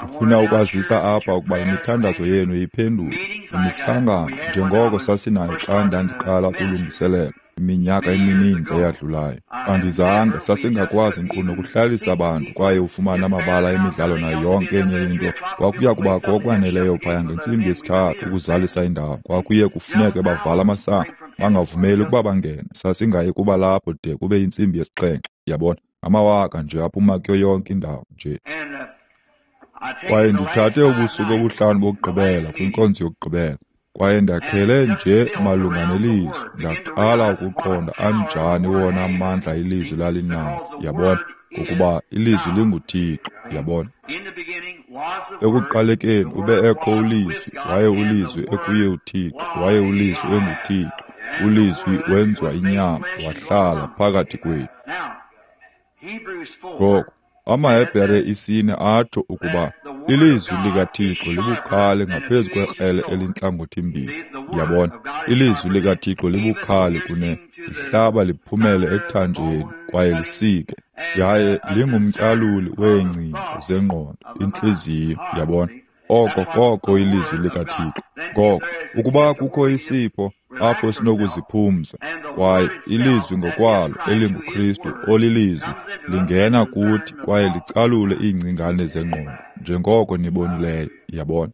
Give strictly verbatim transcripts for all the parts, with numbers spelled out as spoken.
Ndifuna ukwazisa apha ukuba imithandazo yenu iphendulwe. Imihlangano, njengoko sasinayo xa ndandiqala ukulungiselela, iminyaka emininzi eyadlulayo. Andizange, sasingakwazi nkqu nokuhlalisa abantu kwaye ufumane amabala emidlalo nayo yonke enye into. Kwakuya kubakho okwaneleyo phaya ngentsimbi yesithathu ukuzalisa indawo. Kwakuye kufuneke bavala amasango, bangavumeli ukuba bangene. Sasingayi kuba lapho de kube yintsimbi yesixhenxe, yabona. Amawaka nje aphuma kuyo yonke indawo nje. Kwaye ndithathe ubusuku obuhlanu bokugqibela kwinkonzo yokugqibela. Kwaye ndakhele nje malunga nelizwi, ndaqala ukuqonda anjani wona amandla ilizwi lalinawo, yabona, ngokuba ilizwi linguThixo, yabona. Ekuqalekeni ube ekho uLizwi, waye uLizwi ekuye uThixo, waye uLizwi enguThixo. ULizwi wenziwa inyama, wahlala phakathi kwethu. Ngoko, amaHebhere isine atsho ukuba ilizwi likaThixo libukhali ngaphezu kwekrele elintlangothimbini. Yabona, ilizwi likaThixo libukhali kune lihlaba liphumele ethanjeni kwaye lisike, yaye lingumtyaluli weengcinga zengqondo, intliziyo, yabona. Oko koko ilizwi likaThixo. Ngoko, ukuba kukho isipho apho sinokuziphumza, kwaye ilizwi ngokwalo elinguKristu olilizwi lingena kuthi kwaye licalule iingcingane zengqondo, njengoko nibonileyo, yabona.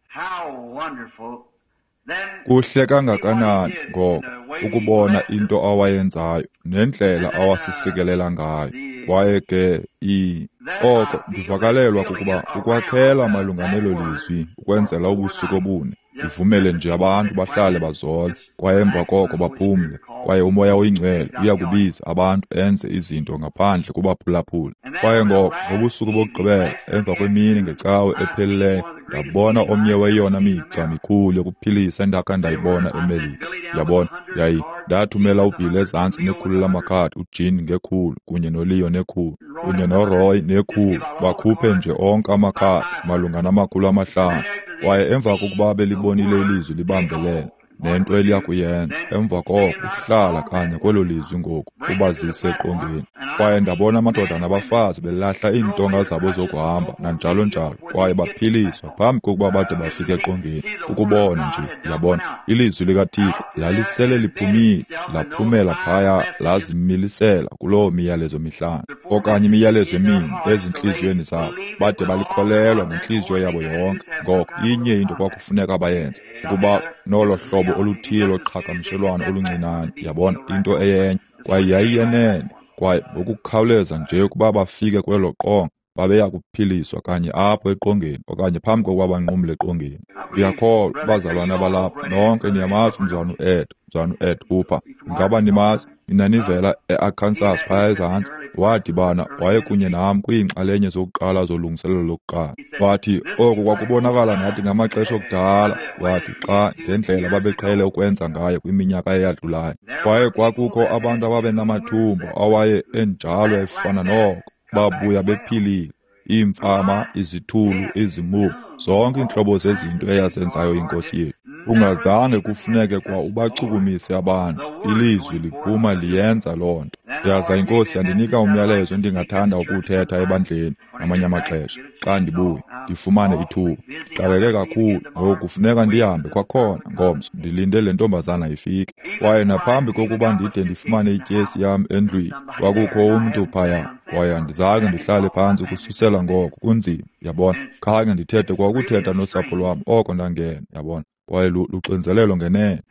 Kuhle kangakanani ngoko ukubona into awayenzayo nendlela awasisikelela ngayo. Kwaye ke i oko ndivakalelwa kukuba ukwakhela malunga nelo lizwi ukwenzela ubusuku obune. Ndivumele nje abantu bahlale bazole, kwaye emva koko baphumle, kwaye uMoya oyiNgcwele uyakubiza abantu enze izinto ngaphandle kubaphulaphula. Kwaye ngoko ngobusuku bokugqibela, emva kwemini ngecawe ephelileyo, ndabona omnye weyona migca mikhulu yokuphilisa endakha ndayibona eMelika. Yabona, yayi ndathumela uBill ezantsi nekhulu lamakhadi, uJean ngekhulu, kunye noLeo nekhulu, kunye noRoy nekhulu, bakhuphe nje onke amakhadi malunga namakhulu amahlanu. Kwaye emva kokuba belibonile ilizwi libambelela nento eliya kuyenza, emva koko uhlala kanye kwelo lizwi ngoku ubazise eqongeni. Kwaye ndabona amadoda nabafazi belahla iintonga zabo zokuhamba nanjalo njalo, kwaye baphiliswa phambi kokuba bade bafike eqongeni. Ukubona nje, yabona, ilizwi likaThixo lalisele liphumile, laphumela phaya, lazimilisela kuloo miyalezo mihlanu okanye imiyalezo emine ezintliziyweni zabo, bade balikholelwa ngentliziyo yabo yonke. Ngoko inye into kwakufuneka bayenze, ukuba nolo hlobo oluthile loqhagamshelwano oluncinane, yabona, into eyenye, kwaye yayiyenene. Kwaye ngokukhawuleza nje ukuba bafike kwelo qonga, babeya kuphiliswa kanye apho eqongeni okanye phambi kokuba banqumle eqongeni. Ndiyakholwa bazalwana balapha nonke niyamazi umzalwana uEd, umzalwana uEd Hooper. Ingaba nimazi? Nina nivela eArkansas phaya ezantsi. Wadibana wayekunye nam kwiinxalenye zokuqala zolungiselelo lokuqala. Wathi oku kwakubonakala ngathi ngamaxesha okudala, wathi xa ngendlela babeqhele ukwenza ngayo kwiminyaka eyadlulayo. Kwaye kwakukho abantu ababenamathumba awaye enjalo efana noko, babuya bephilile, iimfama, izithulu, izimumu, zonke iintlobo zezinto eyazenzayo iNkosi yethu. Ungazange kufuneke kwa ubachukumise abantu, ilizwi liphuma liyenza loo nto. Yaza iNkosi yandinika umyalezo endingathanda ukuwuthetha ebandleni ngamanye amaxesha xa ndibuya ndifumane ithuba. Ndixakeke kakhulu ngoku, kufuneka ndihambe kwakhona ngomso, ndilinde le ntombazana ifike. Kwaye naphambi kokuba ndide ndifumane ityesi yam endlwini, kwakukho umntu phaya, kwaye andizange ndihlale phantsi ukususela ngoko. Kunzima, yabona, khange ndithethe kwa ukuthetha nosapho lwam oko ndangena, yabona. Kwaye luxinzelelo ngenene.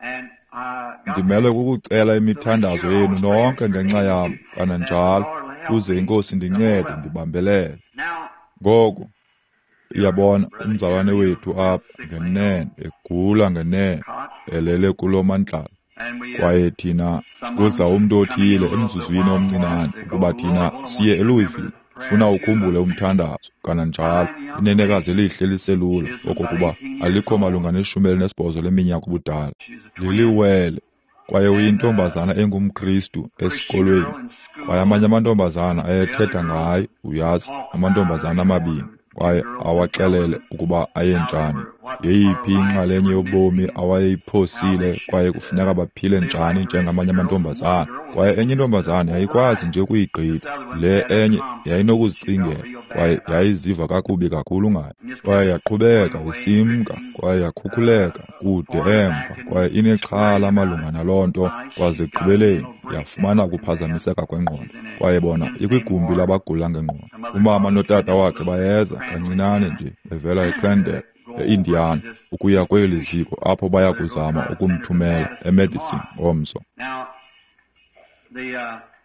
Ndimele kukucela imithandazo yenu nonke ngenxa yam, kananjalo, ukuze iNkosi indincede ndibambelele. Ngoku, uyabona, umzalwane wethu apha ngenene, egula ngenene, elele kulo mandlalo. Kwaye thina kuza umntu othile emzuzwini omncinane ukuba thina siye eLouisville. Funa ukhumbule umthandazo, kananjalo, inenekazi elihle liselula, okokuba alikho malunga neshumi elinesibhozo leminyaka ubudala. Liliwele, kwaye uyintombazana engumKristu esikolweni. Kwaye amanye amantombazana ayethetha ngaye, uyazi, amantombazana amabini, kwaye awaxelele ukuba ayenjani, yeyiphi inxalenye yobomi awayeyiphosile, kwaye kufuneka baphile njani njengamanye amantombazana. Kwaye enye intombazana yayikwazi nje ukuyigqitha, le enye yayinokuzicingela, kwaye yayiziva kakubi kakhulu ngayo. Kwaye yaqhubeka isimka, kwaye yakhukhuleka kude emva, kwaye inexhala malunga naloo nto, kwaze ekugqibeleni yafumana ukuphazamiseka kwengqondo. Kwaye bona ikwigumbi labagula ngengqondo. Umama notata wakhe bayeza kancinane nje bevela eCrandale, e-Indiana, ukuya kweli ziko apho baya kuzama ukumthumela eMedicine ngomso.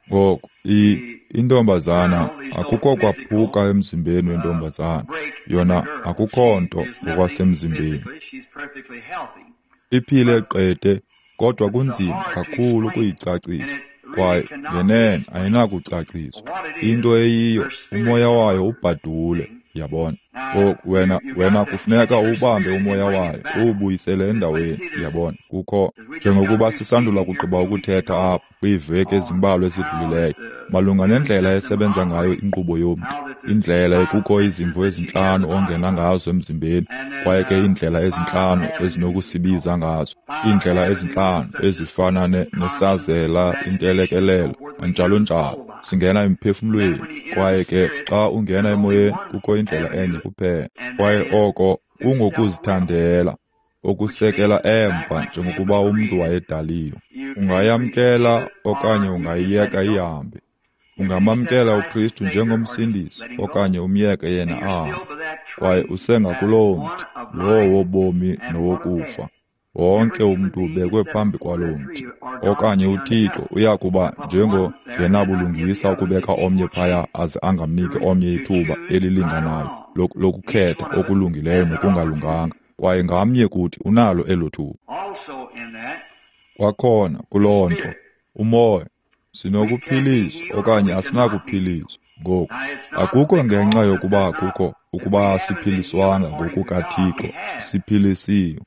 Ngoku, intombazana, akukho kwaphuka emzimbeni wentombazana, yona akukho nto ngokwasemzimbeni. Iphile qete, kodwa kunzima kakhulu ukuyicacisa, kwaye ngenene ayinakucaciswa. Into eyiyo, umoya wayo ubhadule, yabona. Ngoku wena wena kufuneka uwubambe umoya wayo, uwubuyisele endaweni, yabona. Kukho, njengokuba sisandula kugqiba ukuthetha apha kwiiveki ezimbalwa ezidlulileyo, malunga nendlela esebenza ngayo inkqubo yomntu, indlela ekukho izimvo ezintlanu ongena ngazo emzimbeni, kwaye ke iindlela ezintlanu ezinokusibiza ngazo, iindlela ezintlanu ezifana nesazela, intelekelelo, njalo njalo. Singena emphefumlweni, kwaye ke xa ungena emoyeni kukho indlela enye kuphela, kwaye oko kungokuzithandela, okusekela emva njengokuba umntu wayedaliwe. Ungayamkela okanye ungayiyeka ihambe. Ungamamkela uKristu njengomsindisi okanye umyeke yena ahambe, kwaye usengakuloo mthi, lowo wobomi nowokufa. Wonke umntu ubekwe phambi kwaloo mthi, okanye uThixo uya kuba njengongenabulungisa ukubeka omnye phaya aze angamniki omnye ithuba elilinganayo lokukhetha okulungileyo nokungalunganga, kwaye ngamnye kuthi unalo elo thuba. Kwakhona kuloo nto, umoya, sinokuphiliswa okanye asinakuphiliswa. Ngoku, akukho ngenxa yokuba kukho ukuba asiphiliswanga ngokukaThixo, siphilisiwe.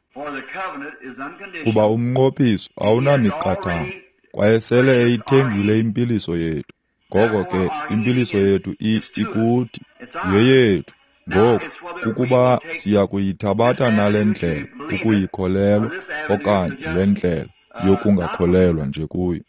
Kuba umnqophiso awunamiqathango, kwaye sele eyithengile impiliso yethu. Ngoko ke impiliso yethu ikuthi, yeyethu. Ngoku, kukuba siya kuyithabatha nale ndlela ukuyikholelwa okanye le ndlela yokungakholelwa nje kuyo.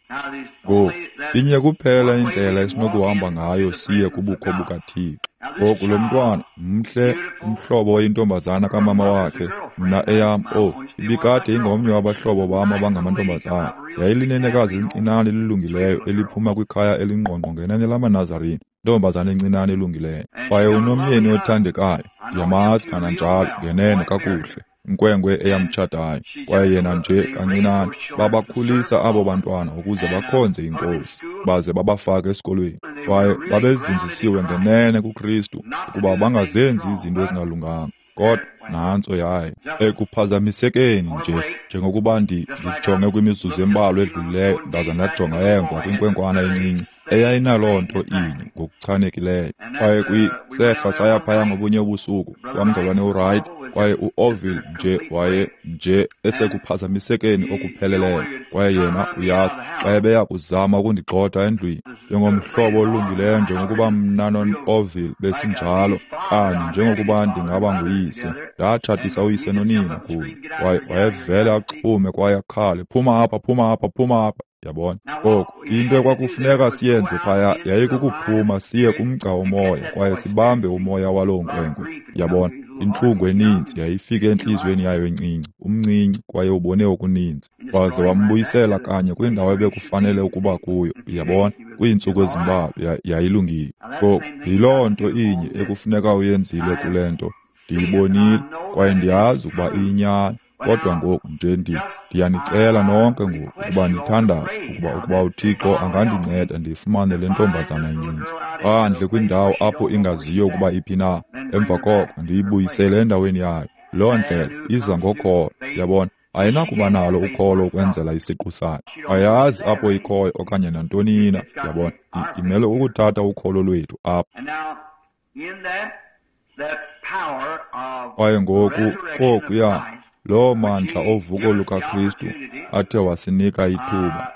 Ngoku, inye kuphela indlela esinokuhamba ngayo siye kubukho bukaThixo. Ngoku lo mntwana mhle, umhlobo oyintombazana kamama wakhe, mna eyam, oh, ibikade ingomnye wabahlobo bam abangamantombazana. Yayilinenekazi elincinane elilungileyo eliphuma kwikhaya elingqongqo ngenene lamaNazarene, intombazana encinane elungileyo. Kwaye unomyeni othandekayo, ndiyamazi kananjalo ngenene kakuhle, inkwenkwe eyamtshatayo. Kwaye yena nje kancinane babakhulisa abo bantwana ukuze bakhonze iNkosi, baze babafake esikolweni. Kwaye babezinzisiwe ngenene kuKristu ukuba bangazenzi izinto ezingalunganga. Kodwa nantso yayo ekuphazamisekeni nje, njengokuba ndijonge kwimizuzu embalwa edlulileyo ndaza ndajonga emva kwinkwenkwana encinci eyayinaloo nto inye ngokuchanekileyo. Kwaye kwisehla saya phaya ngobunye ubusuku kwamzalwane uWright, kwaye uOrville nje waye nje esekuphazamisekeni okupheleleyo. Kwaye yena uyazi xa ebeya kuzama ukundigxotha endlwini njengomhlobo olungileyo, njengokuba mna noOrville besinjalo, kanye njengokuba ndingaba nguyise. Ndatshatisa uyise nonina kuye, kwaye wayevele axhume kwaye akhale, phuma apha, phuma apha, phuma apha. Yabona? Ngoku, into ekwakufuneka siyenze phaya yayikukuphuma siye kumgca womoya kwaye sibambe umoya waloo nkwenkwe. Yabona? Intlungu eninzi yayifike entliziyweni yayo encinci, umncinci, kwaye ubone okuninzi. Waze wambuyisela kanye kwindawo ebekufanele ukuba kuyo. Yabona? Kwiintsuku ezimbalwa yayilungile. Ngoku, yiloo nto inye ekufuneka uyenzile kule nto. Ndiyibonile kwaye ndiyazi ukuba iyinyani. Kodwa ngoku nje ndi ndiyanicela nonke ngoku ukuba nithandaze ukuba ukuba uThixo angandinceda ndifumane le ntombazana incinci phandle kwindawo apho ingaziyo ukuba iphi na. Emva koko ndiyibuyisele endaweni yayo. Loo ndlela iza ngokholo, yabona. Ayinakuba nalo ukholo ukwenzela isiqu sayo. Ayazi apho ikhoyo okanye nantoni na, yabona. Imele ukuthatha ukholo lwethu apha. Kwaye ngoku kokuya loo mandla ovuko lukaKristu athe wasinika ithuba.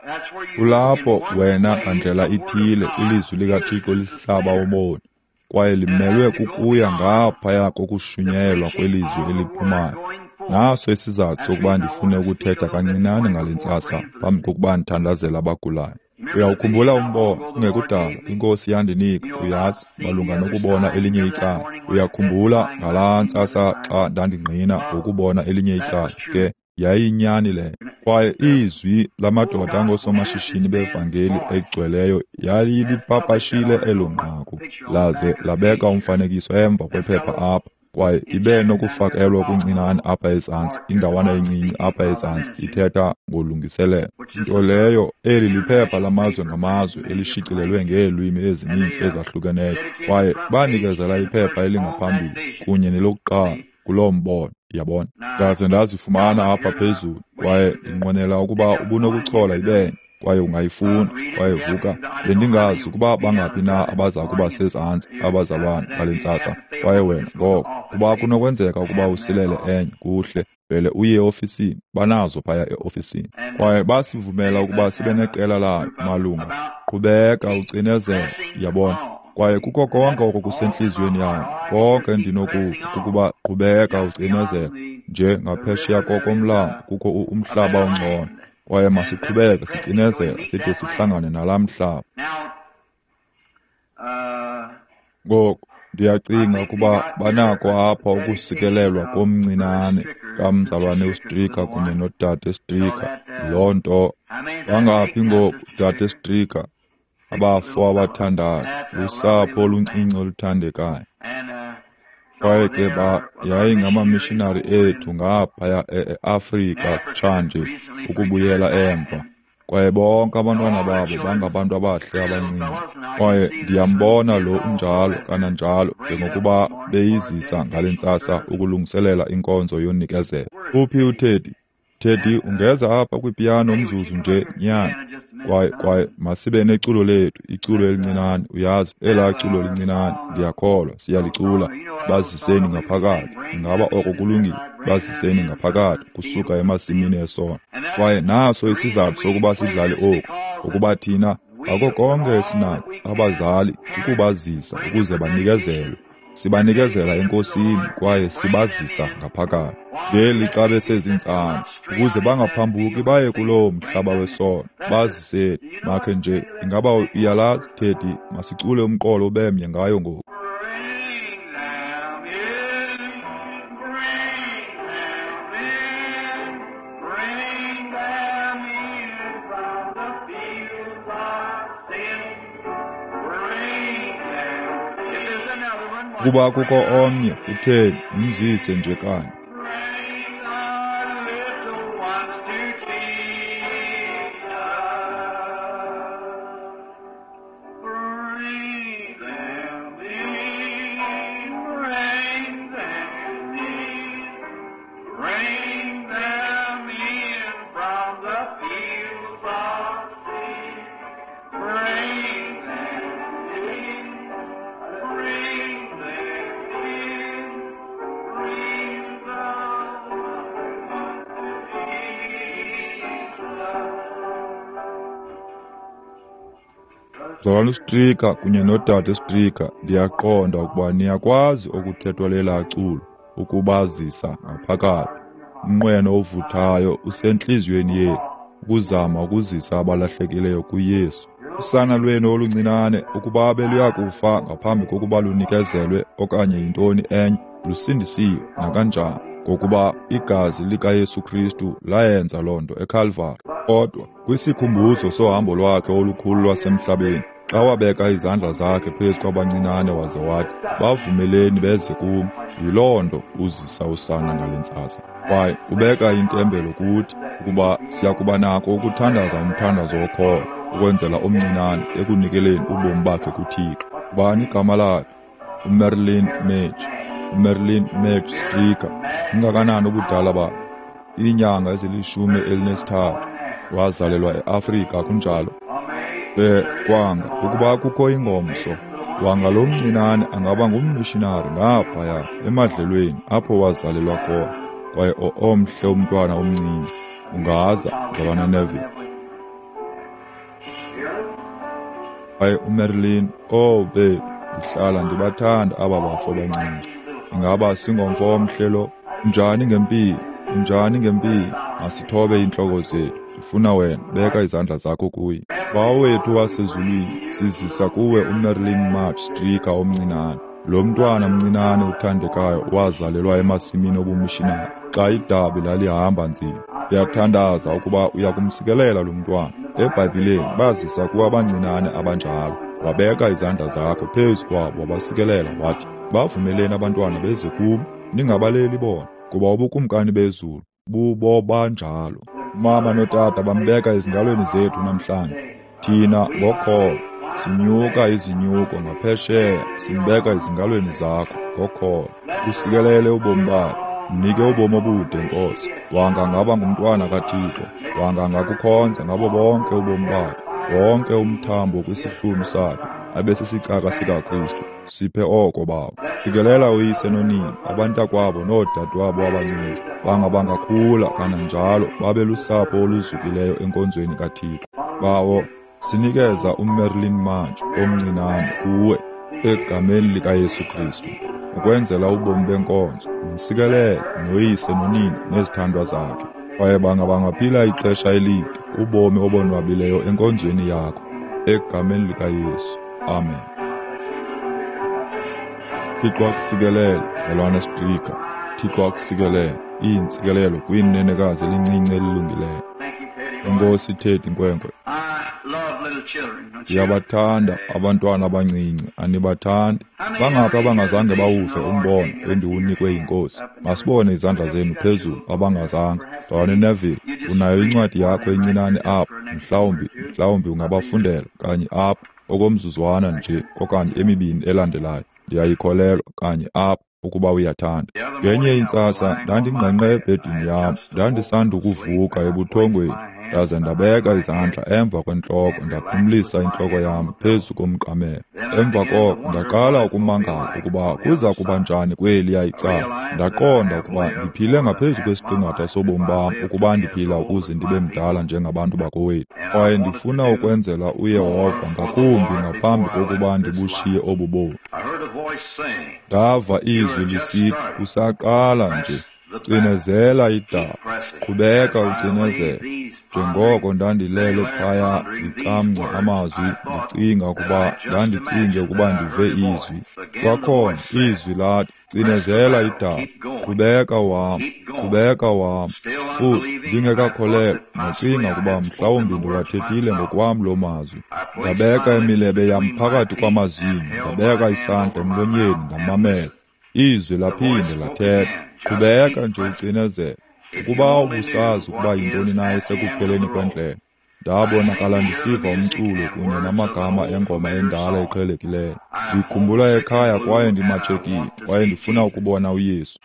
Kulapho wena ngandlela ithile ilizwi likaThixo lihlaba umoni, kwaye limelwe kukuya ngaphaya kokushunyayelwa kwelizwi eliphumayo. Naso isizathu sokuba ndifune ukuthetha kancinane ngale ntsasa phambi kokuba ndithandazele abagulayo. Uyawukhumbula umbono kungekudala iNkosi yandinika, uyazi, malunga nokubona elinye icala. Uyakhumbula ngalaa ntsasa xa ndandingqina ngokubona elinye icala, ke yayiyinyani leyo. Kwaye izwi lamadoda angoosomashishini bevangeli egcweleyo yayilipapashile elo nqaku, laze labeka umfanekiso emva kwephepha apha, kwaye ibe nokufakelwa okuncinane apha ezantsi, indawana encinci apha ezantsi ithetha ngolungiselelo. Nto leyo, eli liphepha lamazwe ngamazwe elishicilelwe ngeelwimi ezininzi ezahlukeneyo, kwaye banikezela iphepha elingaphambili kunye nelokuqala kuloo mbono, yabona. Ndaze ndazifumana apha phezulu, kwaye ndinqwenela ukuba ubunokuchola ibenye, kwaye ungayifuna. Kwaye vuka, bendingazi ukuba bangaphi na abaza kuba sezantsi abazalwana ngale ntsasa. Kwaye wena ngoko, kuba kunokwenzeka ukuba usilele enye, kuhle, vele uye eofisini, banazo phaya eofisini. Kwaye basivumela ukuba sibe neqela layo malunga, qhubeka ucinezela, yabona. Kwaye kukho konke oko kusentliziyweni yam, konke endinokuva kukuba qhubeka ucinezela, nje ngaphesheya kokomlambo kukho umhlaba ongcono. Kwaye masiqhubeke sicinezela side sihlangane nalaa mhlaba. Ngoku ndiyacinga ukuba banako apha ukusikelelwa komncinane kamzalwane uStricker kunye nodade Stricker. Loo nto bangaphi ngoku, dade Stricker? Abafo abathandathu, lusapho oluncinci oluthandekayo. Kwaye ke ba yayingamamishinari ethu ngaphaya e-Afrika kutshanje ukubuyela emva. Kwaye bonke abantwana babo bangabantu abahle abancinci. Kwaye ndiyambona lo unjalo kananjalo njengokuba beyizisa ngale ntsasa ukulungiselela inkonzo yonikezelo. Uphi uTeddy? Teddy, ungeza apha kwipiyano umzuzu nje, nyana. Kwaye kwaye masibe neculo lethu, iculo elincinane, uyazi, elaa culo lincinane, ndiyakholwa siyalicula. Baziseni ngaphakathi. Ingaba oko kulungile? Baziseni ngaphakathi kusuka emasimini esono. Kwaye naso isizathu sokuba sidlale oku, ukuba thina ako konke esinako abazali ukubazisa ukuze banikezelwe. Sibanikezela eNkosini kwaye sibazisa ngaphakathi ngeli xa besezintsana, ukuze bangaphambuki baye kuloo mhlaba wesono. Baziseni. Makhe nje, ingaba uyalazi, Teddy? Masicule umqolo ubemnye ngayo ngoku. Kuba kukho omnye, uTeddy, umzise nje kanye. Mzalwana uStricker kunye nodade Stricker, ndiyaqonda ukuba niyakwazi okuthethwa lelaa culo, ukubazisa ngaphakathi. Umnqweno ovuthayo usentliziyweni yethu, ukuzama ukuzisa abalahlekileyo kuYesu. Usana lwenu oluncinane, ukuba beluyakufa ngaphambi kokuba lunikezelwe okanye yintoni enye, lusindisiwe nakanjani, ngokuba igazi likaYesu Kristu layenza loo nto eKalvari. Kodwa kwisikhumbuzo sohambo lwakhe olukhulu lwasemhlabeni, xa wabeka izandla zakhe phezu kwabancinane waze wathi, bavumeleni beze kum, yiloo nto uzisa usana ngale ntsasa. Kwaye ubeka intembelo kuthi ukuba siyakuba nako ukuthandaza umthandazo wokholo ukwenzela omncinane ekunikeleni ubomi bakhe kuThixo. Ubani igama lakhe? uMerlin Madge. uMerlin Madge Stricker. Ungakanani ubudala bakhe? Iinyanga ezilishumi elinesithathu. Wazalelwa eAfrika, kunjalo. Ke kwanga ukuba kukho ingomso, wanga lo mncinane angaba ngummishinari ngaphaya emadlelweni apho wazalelwa khona. Kwaye omhle umntwana omncinci, ungaza, Mzalwana Neville. Kwaye uMerlin, oh bethu, ndihlala ndibathanda aba bafo bancinci. Ingaba singomfo omhle lo? Unjani ngempilo? Unjani ngempilo? Masithobe iintloko zethu. Ndifuna wena, beka izandla zakho kuye. Bawo wethu wasezulwini, sizisa kuwe uMarilyn March Stricker omncinane. Lo mntwana mncinane uthandekayo wazalelwa emasimini obumishinari xa idabi lalihamba nzima. Ndiyathandaza ukuba uyakumsikelela lo mntwana. EBhayibhileni bazisa kuwe abancinane abanjalo. Wabeka izandla zakho phezu kwabo wabasikelela, wathi, bavumeleni abantwana beze kum, ningabaleli bona, kuba ubukumkani bezulu bubo banjalo. Mama notata bambeka ezingalweni zethu namhlanje. Thina ngokholo sinyuka izinyuko ngaphesheya, simbeka ezingalweni zakho ngokholo. Usikelele ubomi bakhe, mnike ubomi obude, Nkosi. Wanga ngaba ngumntwana kaThixo, wanga ngakukhonza ngabo bonke ubomi bakhe, wonke umthambo kwisihlunu sakhe abe sisicaka sikaKristu. Siphe oko, Bawo. Sikelela uyise nonina, abantakwabo noodadewabo abancinci, banga bangakhula kananjalo babe lusapho oluzukileyo enkonzweni kaThixo. Bawo, sinikeza uMarilyn March omncinane kuwe egameni likaYesu Kristu, ukwenzela ubomi benkonzo. Msikelele noyise nonina nezithandwa zakhe, kwaye banga bangaphila ixesha elide ubomi obonwabileyo enkonzweni yakho, egameni likaYesu. Amen. Thixo akusikelele, mzalwana Stricker. Thixo akusikelele. Iintsikelelo kwinenekazi elincinci elilungileyo. Enkosi Teddy nkwenkwe. Ndiyabathanda abantwana abancinci, anibathandi? Bangaphi abangazange bawuve umbono endiwunikwe yiNkosi? Masibone izandla zenu phezulu abangazange. Mzalwane Neville, unayo incwadi yakho encinane apha, mhlawumbi mhlawumbi ungabafundela kanye apha okomzuzwana nje okanye emibini elandelayo. Ndiyayikholelwa kanye apha ukuba uyathanda. Ngenye intsasa ndandingqengqe ebhedini yam, ndandisandukuvuka ebuthongweni, ndaze ndabeka izandla emva kwentloko ndaphumlisa intloko yam phezu komqamelo. Emva koko ndaqala ukumangala ukuba kuza kuba njani kweliya icala. Ndaqonda ukuba ndiphile ngaphezu kwesiqingatha sobomi bam ukuba ndiphila ukuze ndibe mdala njengabantu bakowethu. Kwaye ndifuna ukwenzela uYehova ngakumbi ngaphambi kokuba ndibushiye obu bomi. Ndava izwi lisithi, usaqala nje, cinezela idaba, qhubeka ucinezela. Njengoko ndandilele phaya ndicamngca amazwi, ndicinga ukuba ndandicinge ukuba ndive izwi. Kwakhona izwi lathi, cinezela idaba, qhubeka uhamba, qhubeka uhamba. Futhi ndingekakholelwa, ndacinga ukuba mhlawumbi ndiwathethile ngokwam loo mazwi. Ndabeka imilebe yam phakathi kwamazinyo, ndabeka isandla emlonyeni ndamamela. Izwi laphinde lathetha, qhubeka nje ucinezela. Ukuba ubusazi ukuba yintoni na esekupheleni kwendlela. Ndabonakala ndisiva umculo kunye namagama engoma endala eqhelekileyo. Ndikhumbula ekhaya kwaye ndimatshekile, kwaye ndifuna ukubona uYesu.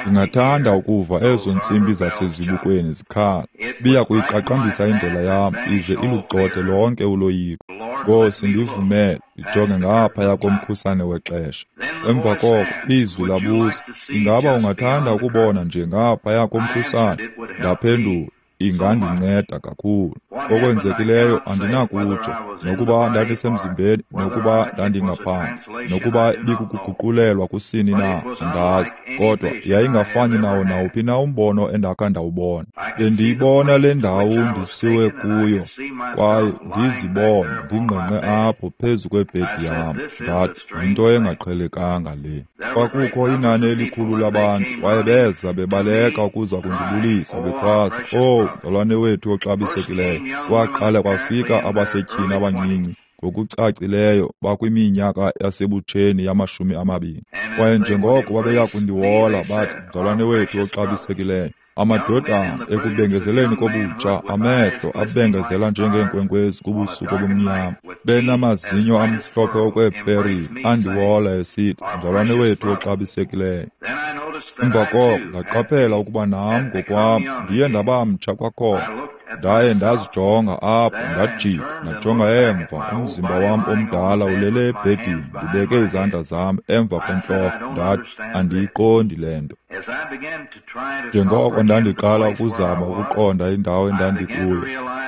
Ndingathanda ukuva ezo ntsimbi zasezibukweni zikhala. Ibiya kuyiqaqambisa indlela yam ize ilugxothe lonke uloyiko. Nkosi, ndivumele ndijonge ngaphaya komkhusane wexesha. Emva koko izwi labuza, ingaba ungathanda ukubona nje ngaphaya komkhusane? Ndaphendula, ingandinceda kakhulu. Okwenzekileyo andinakutsho, nokuba ndandisemzimbeni, nokuba ndandingaphandle, nokuba ibikukuguqulelwa kusini na, andazi. Kodwa yayingafani nawo nawuphi na umbono endakha ndawubona. Bendiyibona le ndawo ndisiwe kuyo, kwaye ndizibone ndingqengqe apho phezu kwebhedi yam. Ndathi, yinto engaqhelekanga le. Kwakukho inani elikhulu labantu, kwaye beza bebaleka ukuza kundibulisa bekhwaza, "Owu, mzalwane wethu oxabisekileyo." Kwaqala kwafika abasetyhini abancinci, ngokucacileyo bakwiminyaka yasebutsheni yamashumi amabini. Kwaye njengoko babeya kundiwola bathi, "Mzalwane wethu oxabisekileyo." Amadodana ekubengezeleni kobutsha, amehlo abengezela njengeenkwenkwezi kubusuku obumnyama, benamazinyo amhlophe okweeperile, andiwola esithi, "Mzalwane wethu oxabisekileyo." Emva koko ndaqaphela ukuba nam ngokwam ndiye ndaba mtsha kwakhona. Ndaye ndazijonga apho, ndajika, ndajonga emva, umzimba wam omdala ulele ebhedini, ndibeke izandla zam emva kwentloko. Ndathi, andiyiqondi le nto. Njengoko ndandiqala ukuzama ukuqonda indawo endandikuyo,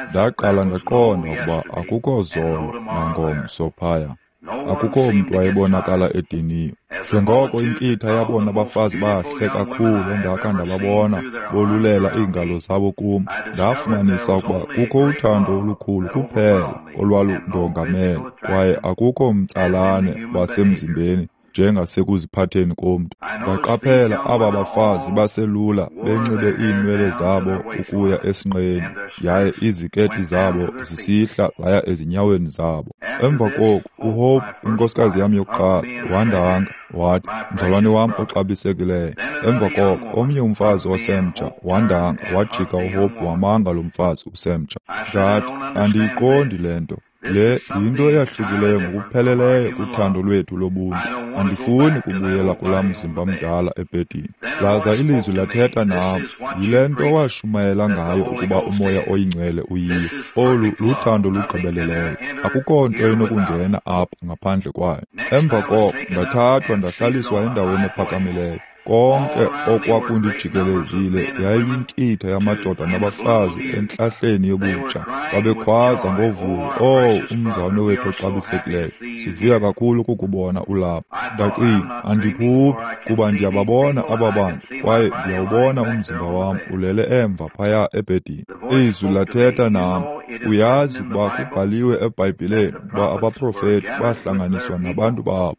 ndaqala ndaqonda ukuba akukho zolo nangomso phaya. Akukho mntu wayebonakala ediniwe. Njengoko inkitha yabona abafazi bahle kakhulu endakha ndababona bolulela iingalo zabo kum, ndafumanisa ukuba kukho uthando olukhulu kuphela olwalundongamele kwaye akukho mtsalane wasemzimbeni njengasekuziphatheni komntu. Ndaqaphela aba bafazi baselula benxibe iinwele zabo ukuya esinqeni yaye iziketi zabo zisihla zaya ezinyaweni zabo. Emva koko uHope, inkosikazi yam yokuqala, wandanga wathi, "Mzalwane wam oxabisekileyo." Emva koko omnye umfazi osemtsha wandanga wajika uHope wamanga lo mfazi usemtsha. Ndathi, "Andiyiqondi le nto. Le yinto eyahlukileyo ngokupheleleyo kuthando lwethu lobuntu. Andifuni kubuyela kulaa mzimba mdala ebhedini." Laza ilizwi lathetha nam, "Yile nto washumayela ngayo ukuba uMoya oyiNgcwele uyiyo. Olu luthando lugqibeleleyo. Akukho nto inokungena apha ngaphandle kwayo." Emva koko ndathathwa ndahlaliswa endaweni ephakamileyo. Konke okwakundijikelezile yayiyinkitha yamadoda nabafazi entlahleni yobutsha. Babekhwaza ngovuyo, "Oh, umzalwane wethu oxabisekileyo, sivuya kakhulu kukubona ulapha." Ndacinga, andiphuphi, kuba ndiyababona aba bantu kwaye ndiyawubona umzimba wam ulele emva phaya ebhedini. Izwi lathetha nam, "Uyazi ukuba kubhaliwe eBhayibhileni ukuba abaprofeti bahlanganiswa nabantu babo."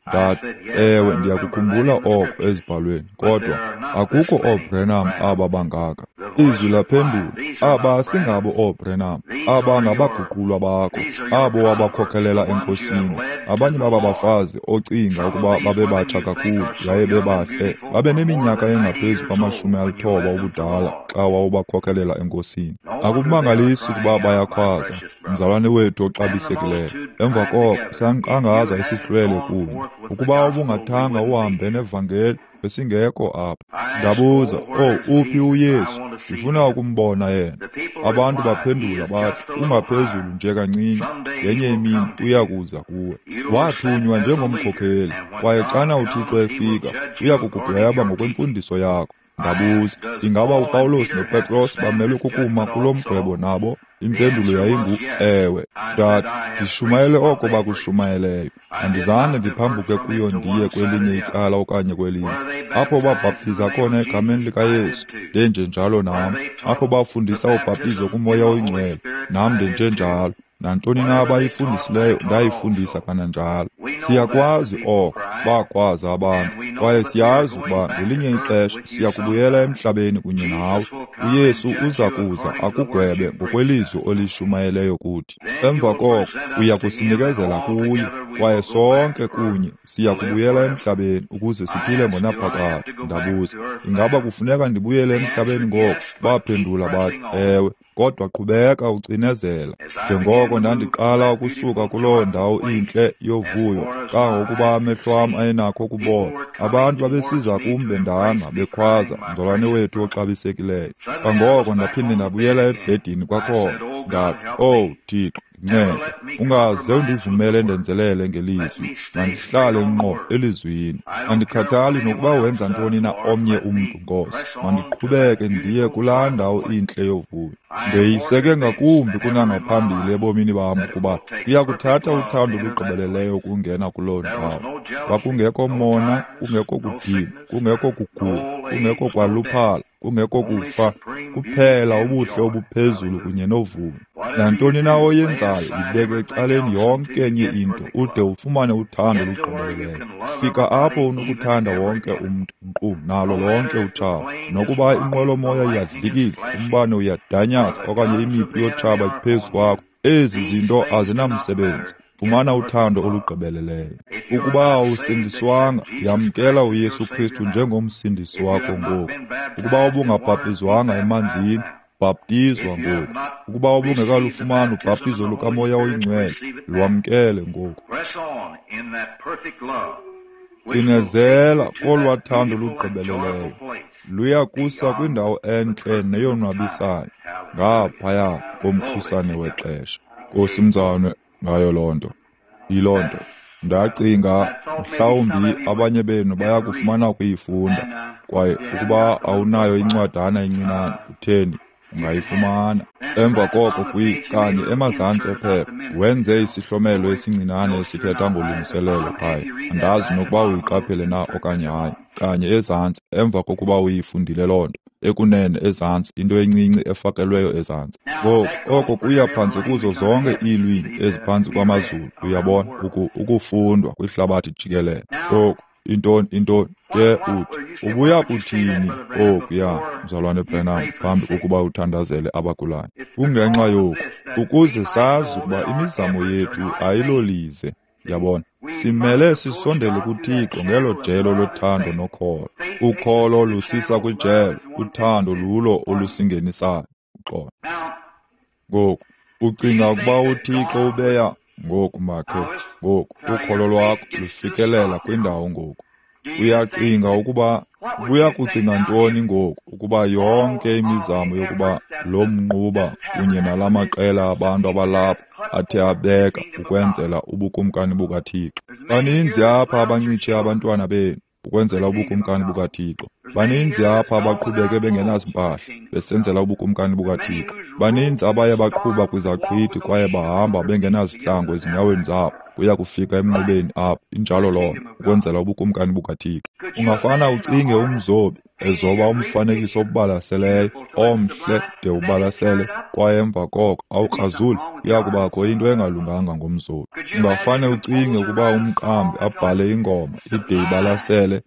Ndathi, "Ewe, ndiyakukhumbula oko ezibhalweni, kodwa akukho ooBranham aba bangaka." Izwi laphendula, "Aba asingabo ooBranham, aba ngabaguqulwa bakho, abo wabakhokelela eNkosini. Abanye baba bafazi ocinga ukuba babebatsha kakhulu yaye bebahle, babeneminyaka engaphezu kwamashumi alithoba ubudala xa wawubakhokelela eNkosini. Akumangalisi ukuba bayakhwaza, mzalwane wethu oxabisekileyo." Emva koko sankqangaza isihlwele kunye. Ukuba ubungathanga uhambe nevangeli, besingekho apha. Ndabuza, "Oh, uphi uYesu? Ndifuna ukumbona yena." Abantu baphendula bathi, "Ungaphezulu nje kancinci, ngenye imini uya kuza kuwe." Wathunywa njengomkhokheli, kwaye xana uThixo efika, uya kukugweba ngokwemfundiso yakho. Ndabuza, "Ingaba uPawulos noPetros bamelwe kukuma kulo mgwebo nabo?" Impendulo yayingu ewe. Ndathi, "Ndishumayele oko bakushumayeleyo. Andizange ndiphambuke kuyo ndiye kwelinye icala okanye kwelinye. Apho babhaptiza khona egameni likaYesu, ndenjenjalo nam. Apho bafundisa ubhaptizo kuMoya oyiNgcwele, nam ndenjenjalo. Nantoni na abayifundisileyo ndayifundisa kananjalo." Siyakwazi oko, bakwazi abantu, kwaye siyazi ukuba ngelinye ixesha siya kubuyela emhlabeni kunye nawe. UYesu uza kuza akugwebe ngokwelizwi olishumayeleyo kuthi. Emva koko uya kusinikezela kuye, kwaye sonke kunye siya kubuyela emhlabeni ukuze siphile ngonaphakade. Ndabuza, "Ingaba kufuneka ndibuyele emhlabeni ngoku?" Baphendula bathi, "Ewe, kodwa qhubeka ucinezela." Njengoko ndandiqala ukusuka kuloo ndawo intle yovuyo, kangangokuba amehlo am ayenakho ukubona, abantu babesiza kum bendanga bekhwaza, "Mzalwane wethu oxabisekileyo." Kangoko ndaphinde ndabuyela ebhedini kwakhona. Ndathi, "Oh Thixo, ndincede, ungaze undivumele ndenzelele ngelizwi, mandihlale ngqo elizwini. Andikhathali nokuba wenza ntoni na omnye umntu, Nkosi, mandiqhubeke ndiye kulaa ndawo intle yovuyo. Ndeyiseke ngakumbi kunangaphambili ebomini bam ukuba kuya kuthatha uthando olugqibeleleyo ukungena kuloo ndawo. Kwakungekho mona, kungekho kudinwa, kungekho kugula, kungekho kwaluphala, kungekho kufa, kuphela ubuhle obuphezulu kunye novuyo. Nantoni na oyenzayo, yibeke ecaleni yonke enye into ude ufumane uthando olugqibeleleyo. Fika apho unokuthanda wonke umntu, nkqu nalo lonke utshaba. Nokuba inqwelomoya iyadlikidla, umbane uyadanyaza okanye imipu yotshaba iphezu kwakho, ezi zinto azinamsebenzi. Fumana uthando olugqibeleleyo. Ukuba awusindiswanga, yamkela uYesu Kristu njengomsindisi wakho ngoku. Ukuba ubungabhaptizwanga emanzini, bhaptizwa ngoku. Ukuba ubungekalufumani ubhaptizo lukaMoya oyiNgcwele, lwamkele ngoku. Cinezela kolwaa thando lugqibeleleyo. Luya kusa kwindawo entle neyonwabisayo, ngaphaya komkhusane wexesha. Nkosi mzalwane, ngayo loo nto. Yiloo nto. Ndacinga mhlawumbi abanye benu baya kufumana ukuyifunda, kwaye ukuba awunayo incwadana encinane, utheni, Ungayifumana. Emva koko kwi kanye emazantsi ephepha wenze isihlomelo esincinane esithetha ngolungiselelo phaya. Andazi nokuba uyiqaphele na okanye hayi. Kanye ezantsi emva kokuba uyifundile loo nto, ekunene ezantsi, into encinci efakelweyo ezantsi. Ngoku oko kuya phantsi kuzo zonke iilwimi eziphantsi kwamazulu, uyabona, uku, ukufundwa kwihlabathi jikelele. Ngoku intoni intoni ke uthi ubuya kuthini okuya, Mzalwane Branham, phambi kokuba uthandazele abagulayo? Kungenxa yoku, ukuze sazi ukuba imizamo yethu ayilolize. Yabona, simele sisondele kuThixo ngelo jelo lothando nokholo. Ukholo lusisa kwijelo, uthando lulo olusingenisayo. Uxolo. Ngoku ucinga ukuba uThixo ubeya ngoku makhe ngoku ukholo lwakho lufikelela kwindawo ngoku. Uyacinga ukuba ubuya kucinga ntoni ngoku ukuba yonke imizamo yokuba lo mnquba kunye nalamaqela abantu abalapha athe abeka ukwenzela ubukumkani bukaThixo? Baninzi apha abancitshe abantwana benu ukwenzela ubukumkani bukaThixo. Baninzi apha abaqhubeke bengenazimpahla besenzela ubukumkani bukaThixo. Baninzi abaye baqhuba kwizaqhwithi kwaye bahamba bengenazihlangu ezinyaweni zabo kuya kufika emnqubeni apha. Injalo loo nto, ukwenzela ubukumkani bukaThixo. Ungafana ucinge umzobi ezoba umfanekiso obalaseleyo omhle de ubalasele, kwaye emva koko awukrazuli, kuya kubakho into engalunganga ngomzobi. Ungafane ucinge ukuba umqambi abhale ingoma ide ibalasele,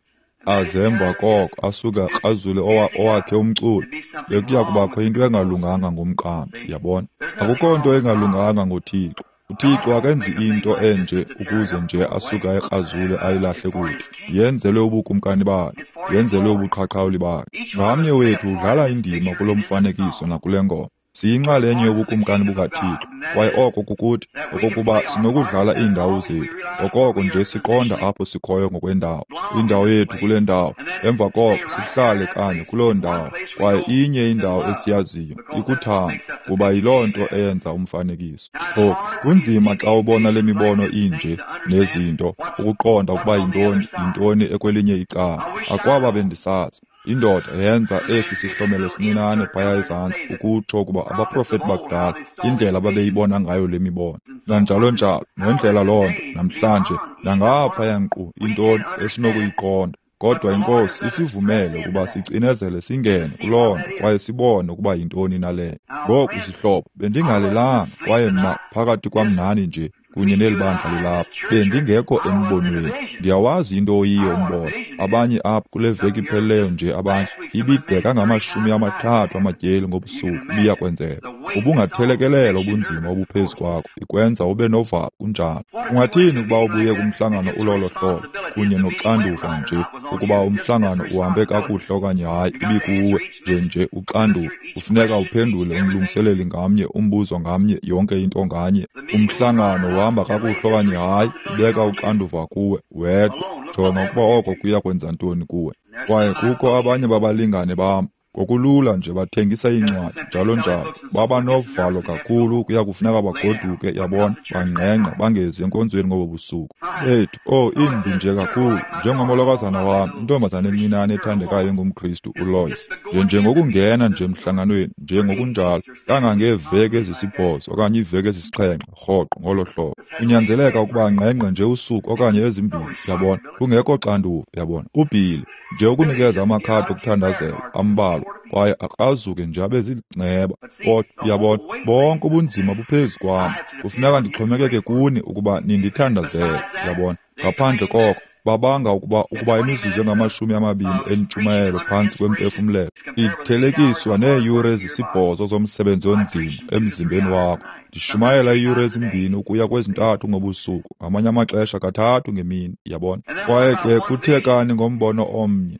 aze emva koko asuke akrazule owakhe umculo, bekuya kubakho into engalunganga ngomqambi. Yabona, akukho nto engalunganga ngoThixo. UThixo akenzi into enje ukuze nje asuke ayikrazule ayilahle kude. Yenzelwe ubukumkani bakhe, yenzelwe ubuqhaqhawuli bakhe. Ngamnye wethu udlala indima kulo mfanekiso nakule ngoma. Siyinxalenye yobukumkani bukaThixo, kwaye oko kukuthi okokuba sinokudlala iindawo zethu, okoko nje siqonda apho sikhoyo ngokwendawo, indawo yethu kule ndawo. Emva koko sihlale kanye kuloo ndawo, kwaye inye indawo esiyaziyo ikuthando, kuba yiloo nto eyenza umfanekiso. Ngoku kunzima xa ubona le mibono inje nezinto ukuqonda ukuba yintoni yintoni ekwelinye icala. Akwaba bendisazi. Indoda yenza esi sihlomelo sincinane phaya ezantsi ukutsho ukuba abaprofeti bakudala indlela ababeyibona ngayo le mibono, nanjalo njalo, nendlela loo nto namhlanje nangaphaya nkqu intoni esinokuyiqonda. Kodwa iNkosi isivumele ukuba sicinezele singene kuloo nto kwaye sibone ukuba yintoni naleyo. Ngoku zihlobo, bendingalelanga kwaye mna phakathi kwam nani nje kunye neli bandla lilapha, bendingekho embonweni. Ndiyawazi into oyiyo umbono. Abanye apha kule veki iphelileyo nje abanye ibideka ngamashumi amathathu amatyeli ngobusuku ibiya kwenzeka. Ubungathelekelela ubunzima obuphezu kwakho, ikwenza ube novalo kunjalo. Ungathini ukuba ubuye kumhlangano ulolo hlobo kunye noxanduva nje ukuba umhlangano uhambe kakuhle okanye hayi, ibikuwe nje nje uxanduva. Kufuneka uphendule umlungiseleli ngamnye, umbuzo ngamnye, yonke into nganye. Umhlangano uhamba kakuhle okanye hayi, ubeka uxanduva kuwe wedwa. Jonga ukuba oko kuya kwenza ntoni kuwe. Kwaye kukho abanye babalingane bam ngokulula nje bathengisa iincwadi njalo njalo, baba novalo kakhulu kuya kufuneka bagoduke, yabona, bangqengqe bangezi enkonzweni ngobo busuku. Ethu, oh, imbi nje kakhulu, njengomolokazana wam, intombazana encinane ethandekayo engumKristu uLois, nje njengokungena nje emhlanganweni njengokunjalo kangangeeveki ezisibhozo okanye iiveki ezisixhenxe rhoqo ngolo hlobo. Kunyanzeleka ukuba angqengqe nje usuku okanye ezimbini, yabona, kungekho xanduva, yabona. UBilly nje ukunikeza amakhadi okuthandazela ambalwa kwaye akrazuke nje abe ziingceba. Kodwa uyabona, bonke ubunzima buphezu kwam. Kufuneka ndixhomekeke kuni ukuba nindithandazele, yabona. Ngaphandle koko babanga ukuba ukuba imizuzu engamashumi amabini entshumayelo phantsi kwempefumlelo ithelekiswa neeyure ezisibhozo zomsebenzi onzima emzimbeni wakho. Ndishumayela iiyure ezimbini ukuya kwezintathu ngobusuku, ngamanye amaxesha kathathu ngemini, yabona. Kwaye ke kuthekani ngombono omnye?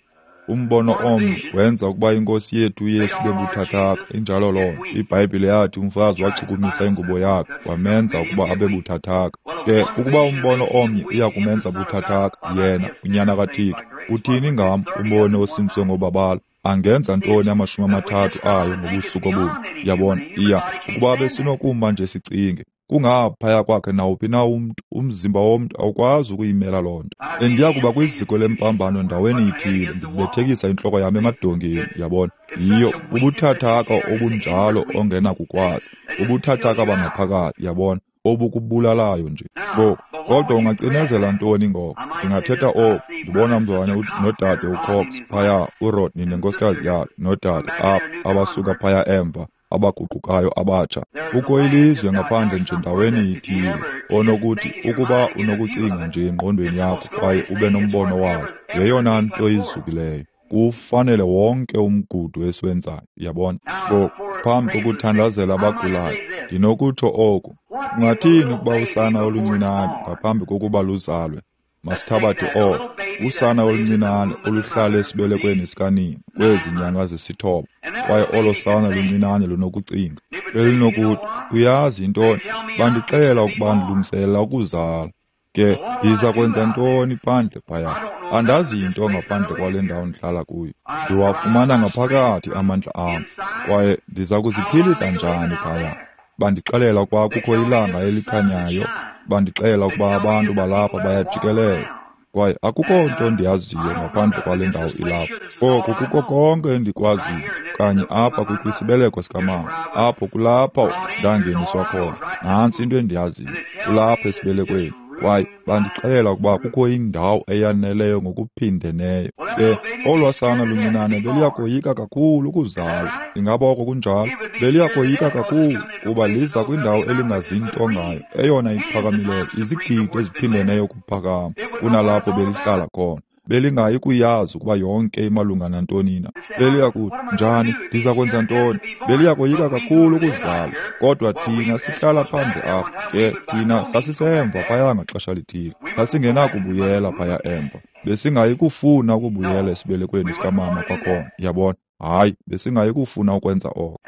Umbono omnye wenza ukuba iNkosi yethu uYesu ibe buthathaka. Injalo loo nto. IBhayibhile yathi umfazi wachukumisa ingubo yakhe wamenza ukuba abe buthathaka. Ke ukuba umbono omnye uya kumenza buthathaka yena uNyana kaThixo, uthini ngam umbono osindiswe ngobabalo? Angenza ntoni amashumi amathathu ayo ngobusuku obunye? Yabona, iya ukuba besinokuma nje sicinge Kungaphaya kwakhe nawuphi na umntu, umzimba womntu awukwazi ukuyimela loo nto. Bendiya kuba kwiziko lempambano ndaweni ithile, ndibethekisa intloko yam emadongeni, yabona. Yiyo bubuthathaka obunjalo ongenakukwazi, bubuthathaka bangaphakathi, yabona, obukubulalayo nje. Ngoku, kodwa ungacinezela ntoni ngoko? Ndingathetha oku, ndibona mzalwane nodade uCox phaya, uRodney nenkosikazi yakhe nodade apha abasuka phaya emva, abaguqukayo abatsha. Kukho ilizwe ngaphandle nje ndaweni ithile onokuthi ukuba unokucinga nje engqondweni yakho kwaye ube nombono wayo, yeyona nto izukileyo. Kufanele wonke umgudu esiwenzayo, yabona. Ngoku, phambi kokuthandazela abagulayo, ndinokutsho oku. Kungathini ukuba usana oluncinane ngaphambi kokuba luzalwe? Masithabathe oko, usana oluncinane oluhlala esibelekweni sikanina kwezi nyanga zisithoba, kwaye olo sana luncinane lunokucinga. Belinokuthi, uyazi yintoni, bandixelela ukuba ndilungiselela ukuzala. Ke ndiza kwenza ntoni phandle phaya? Andazi yinto ngaphandle kwale ndawo ndihlala kuyo. Ndiwafumana ngaphakathi amandla am, kwaye ndiza kuziphilisa njani phaya? Bandixelela ukuba kukho ilanga elikhanyayo, bandixelela ukuba abantu balapha bayajikeleza, kwaye akukho nto ndiyaziyo ngaphandle kwale ndawo ilapha. Oku kuko konke endikwaziyo, kanye apha kwisibeleko sikamama, apho kulapho ndangeniswa khona. Nantsi into endiyaziyo, kulapha esibelekweni. Kwaye bandixelela ukuba kukho indawo eyaneleyo ngokuphindeneyo. Ke olwa sana luncinane beliyakoyika kakhulu ukuzalwa. Ingaba oko kunjalo? Beliyakoyika kakhulu kuba liza kwindawo elingazinto ngayo, eyona iphakamileyo, izigidi eziphindeneyo ukuphakama kunalapho belihlala khona. Belingayi kuyazi ukuba yonke imalunga nantoni na. Beliyakuthi, njani, ndiza kwenza ntoni? Beliyakoyika kakhulu ukuzalwa, kodwa thina sihlala phandle apha. Ke thina sasisemva phaya ngaxesha lithile, sasingenakubuyela phaya emva. Besingayi kufuna ukubuyela esibelekweni sikamama kwakhona, yabona. Hayi, besingayi kufuna ukwenza oko.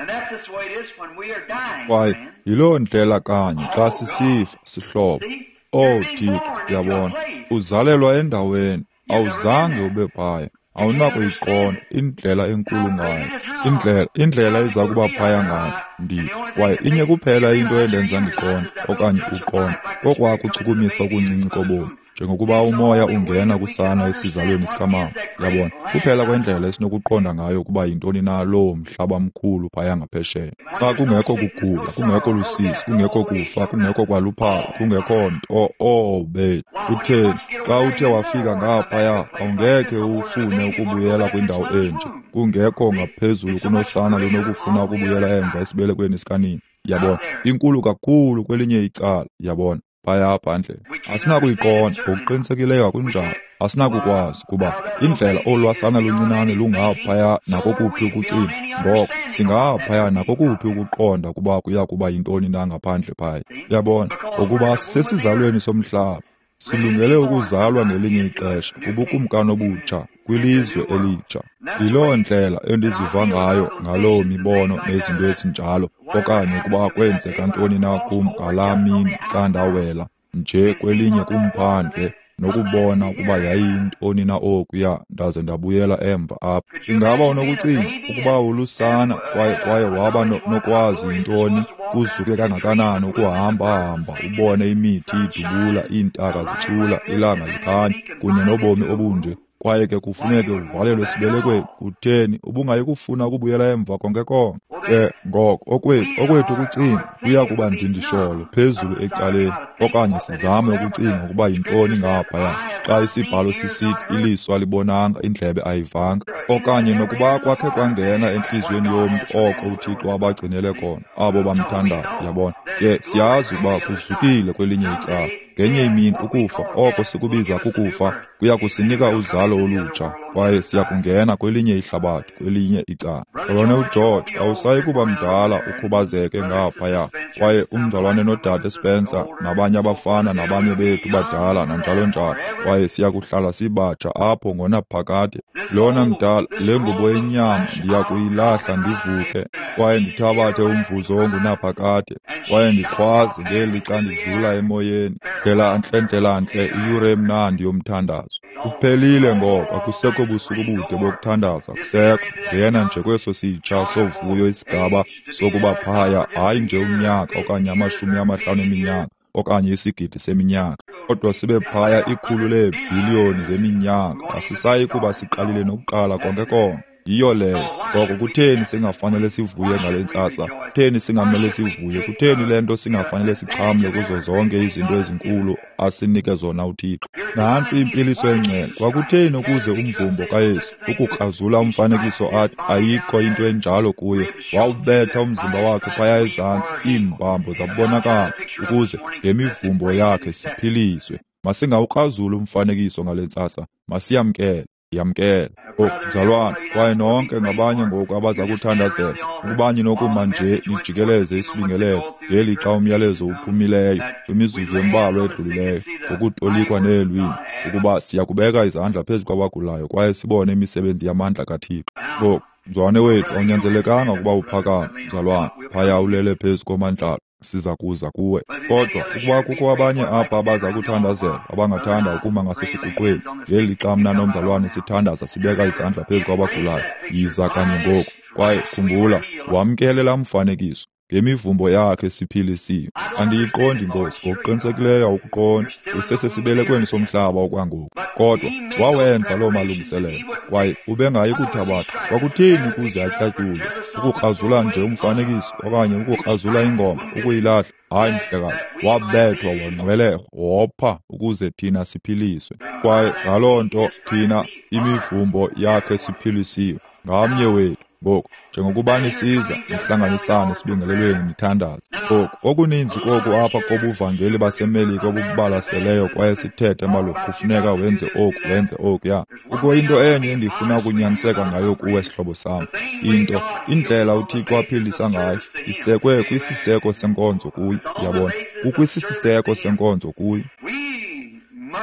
Kwaye yiloo ndlela kanye xa sisifa, sihlobo. Owu Thixo, yabona, uzalelwa endaweni awuzange ube phaya, awunakuyiqonda indlela enkulu ngayo, indlela indlela eza kuba phaya ngayo. Ndi kwaye inye kuphela into endenza ndiqonde okanye uqonde, kokwakuchukumisa okuncinci kobomi, njengokuba umoya ungena kusana esizalweni sikamama, yabona. Kuphela kwendlela esinokuqonda ngayo ukuba yintoni na loo mhlaba mkhulu phaya ngaphesheya. Xa kungekho kugula, kungekho lusizi, kungekho kufa, kungekho kwaluphala, kungekho nto, oh bethu, kutheni xa uthe wafika ngaphaya awungekhe ufune ukubuyela kwindawo enje, kungekho ngaphezulu kunosana lunokufuna ukubuyela emva esibelekweni sikanina, yabona. Inkulu kakhulu kwelinye icala, yabona. Phaya phandle asinakuyiqonda ngokuqinisekileyo, akunjalo. Asinakukwazi kuba indlela olwasana luncinane lungaphaya nakokuphi ukucinga, ngoko singaphaya nakokuphi ukuqonda ukuba kuya kuba yintoni na ngaphandle phaya, yabona. Ngokuba sisesizalweni somhlaba, silungele ukuzalwa ngelinye ixesha kubukumkani obutsha, kwilizwe elitsha. Yiloo ndlela endiziva ngayo ngaloo mibono nezinto ezinjalo, okanye ukuba kwenzeka ntoni na kum ngalaa mini xa ndawela nje kwelinye kumphandle nokubona ukuba yayiyintoni na okuya, ndaze ndabuyela emva apha. Ingaba unokucinga ukuba ulusana kwaye kwaye waba nokwazi yintoni, kuzuke kangakanani ukuhamba-hamba ubone imithi idubula, iintaka zicula, ilanga likhanya, kunye nobomi obunje, kwaye ke kufuneke uvalelwe esibelekweni? Kutheni ubungayi kufuna ukubuyela emva konke konke? Ke ngoko okwethu okwethu ukucinga kuya kuba ndindisholo phezulu ecaleni, okanye sizame ukucinga ukuba yintoni ngaphaya, xa isibhalo sisithi iliso alibonanga, indlebe ayivanga, okanye nokuba kwakhe kwangena entliziyweni yomntu oko uThixo abagcinele khona abo bamthandayo, yabona. Ke siyazi ukuba kuzukile kwelinye icala. Ngenye imini ukufa, oko sikubiza kukufa, kuya kusinika uzalo olutsha, kwaye siya kungena kwelinye ihlabathi, kwelinye icala. Mzalwane uGeorge, awusayi kuba mdala ukhubazeke ngaphaya, kwaye umzalwane nodade Spencer nabanye abafana nabanye bethu badala nanjalo njalo, kwaye siya kuhlala sibatsha apho ngonaphakade. Lona mdala, le ngubo yenyama ndiya kuyilahla ndivuke. kwaye ndithabathe umvuzo ongunaphakade, kwaye ndikhwaze ngelixa ndidlula emoyeni, ndlela ntle ndlela ntle iyure emnandi yomthandazo. Kuphelile ngoko, akusekho busuku bude bokuthandaza, kusekho. Ngena nje kweso sitsha sovuyo isigaba sokuba phaya, hayi nje unyaka okanye amashumi amahlanu eminyaka okanye isigidi seminyaka, kodwa sibe phaya ikhulu leebhiliyoni zeminyaka. Asisayi kuba siqalile nokuqala konke konke. Yiyo leyo. Ngoko kutheni singafanele sivuye ngale ntsasa? Kutheni singamele sivuye? Kutheni le nto singafanele sixhamle kuzo zonke izinto ezinkulu asinike zona uThixo? Nantsi impiliso engcwele. Kwakutheni ukuze umvumbo kaYesu ukukrazula umfanekiso athi ayikho into enjalo kuye, wawubetha umzimba wakhe phaya ezantsi, iimbambo zabonakala, ukuze ngemivumbo yakhe siphiliswe. Masingawukrazuli umfanekiso ngale ntsasa, masiyamkele. Yamkele. Oh, mzalwane, kwaye nonke ngabanye ngoku abaza kuthandazela, ukuba ninokuma nje nijikeleze isibingelelo ngelixa umyalezo uphumileyo kwimizuzu embalwa edlulileyo ngokutolikwa neelwimi, ukuba siya kubeka izandla phezu kwabagulayo kwaye sibone imisebenzi yamandla kaThixo. Ngoku, mzalwane wethu, awunyanzelekanga ukuba uphakame, mzalwane, phaya ulele phezu komandlalo, siza kuza kuwe. Kodwa ukuba kukho abanye apha abaza kuthandazela abangathanda ukuma ngasesiguqweni ngelixa mna nomzalwane sithandaza sibeka izandla phezu kwabagulayo, yiza kanye ngoku. Kwaye khumbula, wamkele laa mfanekiso. Ngemivumbo yakhe siphilisiwe. Andiyiqondi, Nkosi, ngokuqinisekileyo awukuqondi. Usesesibelekweni somhlaba okwangoku. Kodwa wawenza loo malungiselelo, kwaye ubengayi kuthabatha. Kwakutheni ukuze atyatyulwe? Ukukrazula nje umfanekiso okanye ukukrazula ingoma, ukuyilahla? Hayi, mhlekazi, wabethwa, wangcwelerha, wopha ukuze thina siphiliswe. Kwaye ngaloo nto thina imivumbo yakhe siphilisiwe, ngamnye wethu. Ngoku, njengokuba nisiza, nihlanganisane esibingelelweni nithandaze. Ngoku, okuninzi koku apha kobuvangeli baseMelika obubalaseleyo kwaye sithethe malunga kufuneka wenze oku, wenze okuya. Kukho into enye endifuna ukunyaniseka ngayo kuwe, sihlobo sam. Into, indlela uThixo aphilisa ngayo, isekwe kwisiseko senkonzo kuye, uyabona. Kukwisiseko senkonzo kuye.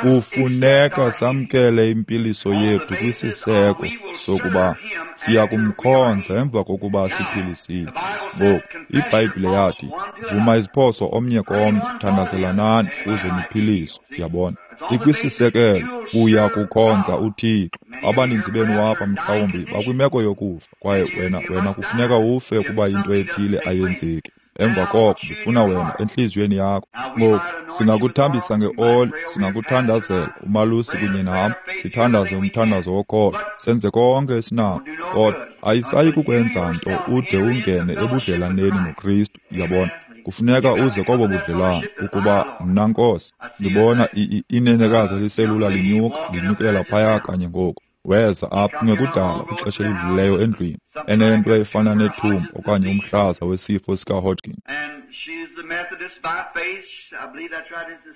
Kufuneka samkele impiliso yethu kwisiseko sokuba siya kumkhonza emva kokuba siphilisile. Ngoku, iBhayibhile yathi, vuma iziphoso omnye komnye, thandazelanani ukuze niphiliswe. Uyabona, ikwisisekelo uya kukhonza uThixo. Abaninzi benu apha mhlawumbi bakwimeko yokufa, kwaye wena wena kufuneka ufe kuba into ethile ayenzeki. Emva koko ndifuna wena entliziyweni yakho. Ngoku singakuthambisa ngeoli, singakuthandazela, umalusi kunye nam, sithandaze umthandazo wokholo, senze konke esinako. Kodwa ayisayi kukwenza nto ude ungene ebudlelaneni noKristu. Uyabona, kufuneka uze kobo budlelane. Ukuba mna, Nkosi, ndibona inenekazi eliselula linyuka, linyukela phaya kanye ngoku. Weza apha kungekudala kwixesha elidlulileyo endlwini, enento efana nethumba okanye umhlaza wesifo sikaHodgkin.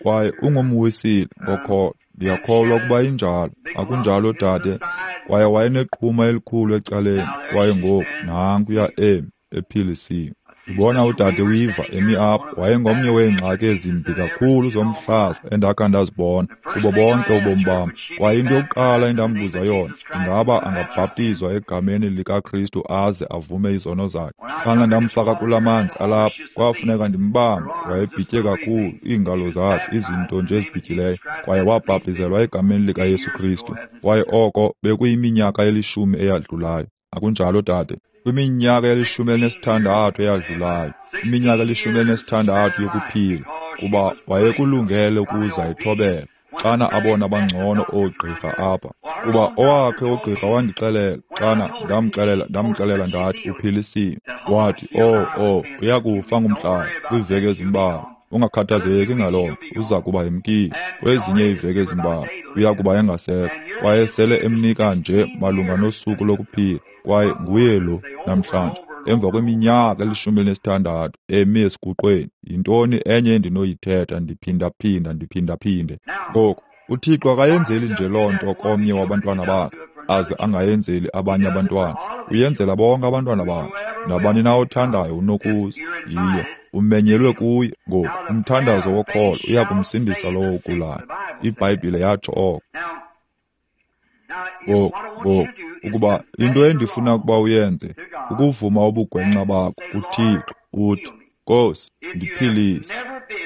Kwaye ungumwisile ngokholo, ndiyakholwa ukuba injalo. Akunjalo, dade? Kwaye wayeneqhuma elikhulu ecaleni, kwaye ngoku nankuya emi ephilisiwe. Ndibona udade Weaver emi apha, wayengomnye weengxaki ezimbi kakhulu zomhlaza endakha ndazibona kubo bonke ubomi bam. Kwaye into yokuqala endambuza yona, ingaba angabhaptizwa egameni likaKristu aze avume izono zakhe. Xana ndamfaka kula manzi alapha, kwafuneka ndimbambe, wayebhitye kakhulu, iingalo zakhe, izinto nje ezibhityileyo. Kwaye wabhaptizelwa egameni likaYesu Kristu. Kwaye oko bekuyiminyaka elishumi eyadlulayo. Akunjalo, dade? Kwiminyaka elishumi elinesithandathu eyadlulayo, iminyaka elishumi elinesithandathu yokuphila, kuba wayekulungele ukuza ethobela xana abona bangcono oogqirha apha. Kuba owakhe ugqirha wandixelela, xana ndamxelela ndamxelela ndathi uphilisiwe. Wathi, oh, oh, uyakufa ngumhlaba kwiiveki ezimbalwa. Ungakhathazeki ngaloo nto, uza kuba emkile. Kwezinye iiveki ezimbalwa uya kuba engasekho. Kwaye sele emnika nje malunga nosuku lokuphila. Kwaye nguye lo namhlanje, emva kweminyaka elishumi elinesithandathu emi esiguqweni. Yintoni enye endinoyithetha ndiphindaphinda ndiphindaphinde? Ngoku, uThixo akayenzeli nje loo nto komnye wabantwana bakhe, aze angayenzeli abanye abantwana. Uyenzela bonke abantwana bakhe. Nabani na othandayo unokuza. Yiyo, umenyelwe kuye. Ngoku, umthandazo wokholo uya kumsindisa lowo ugulayo. iBhayibhile yatsho oko. Ngoku, ngoku, ukuba into endifuna ukuba uyenze Ukuvuma ubugwenxa bakho kuThixo, uthi, Nkosi, ndiphilise.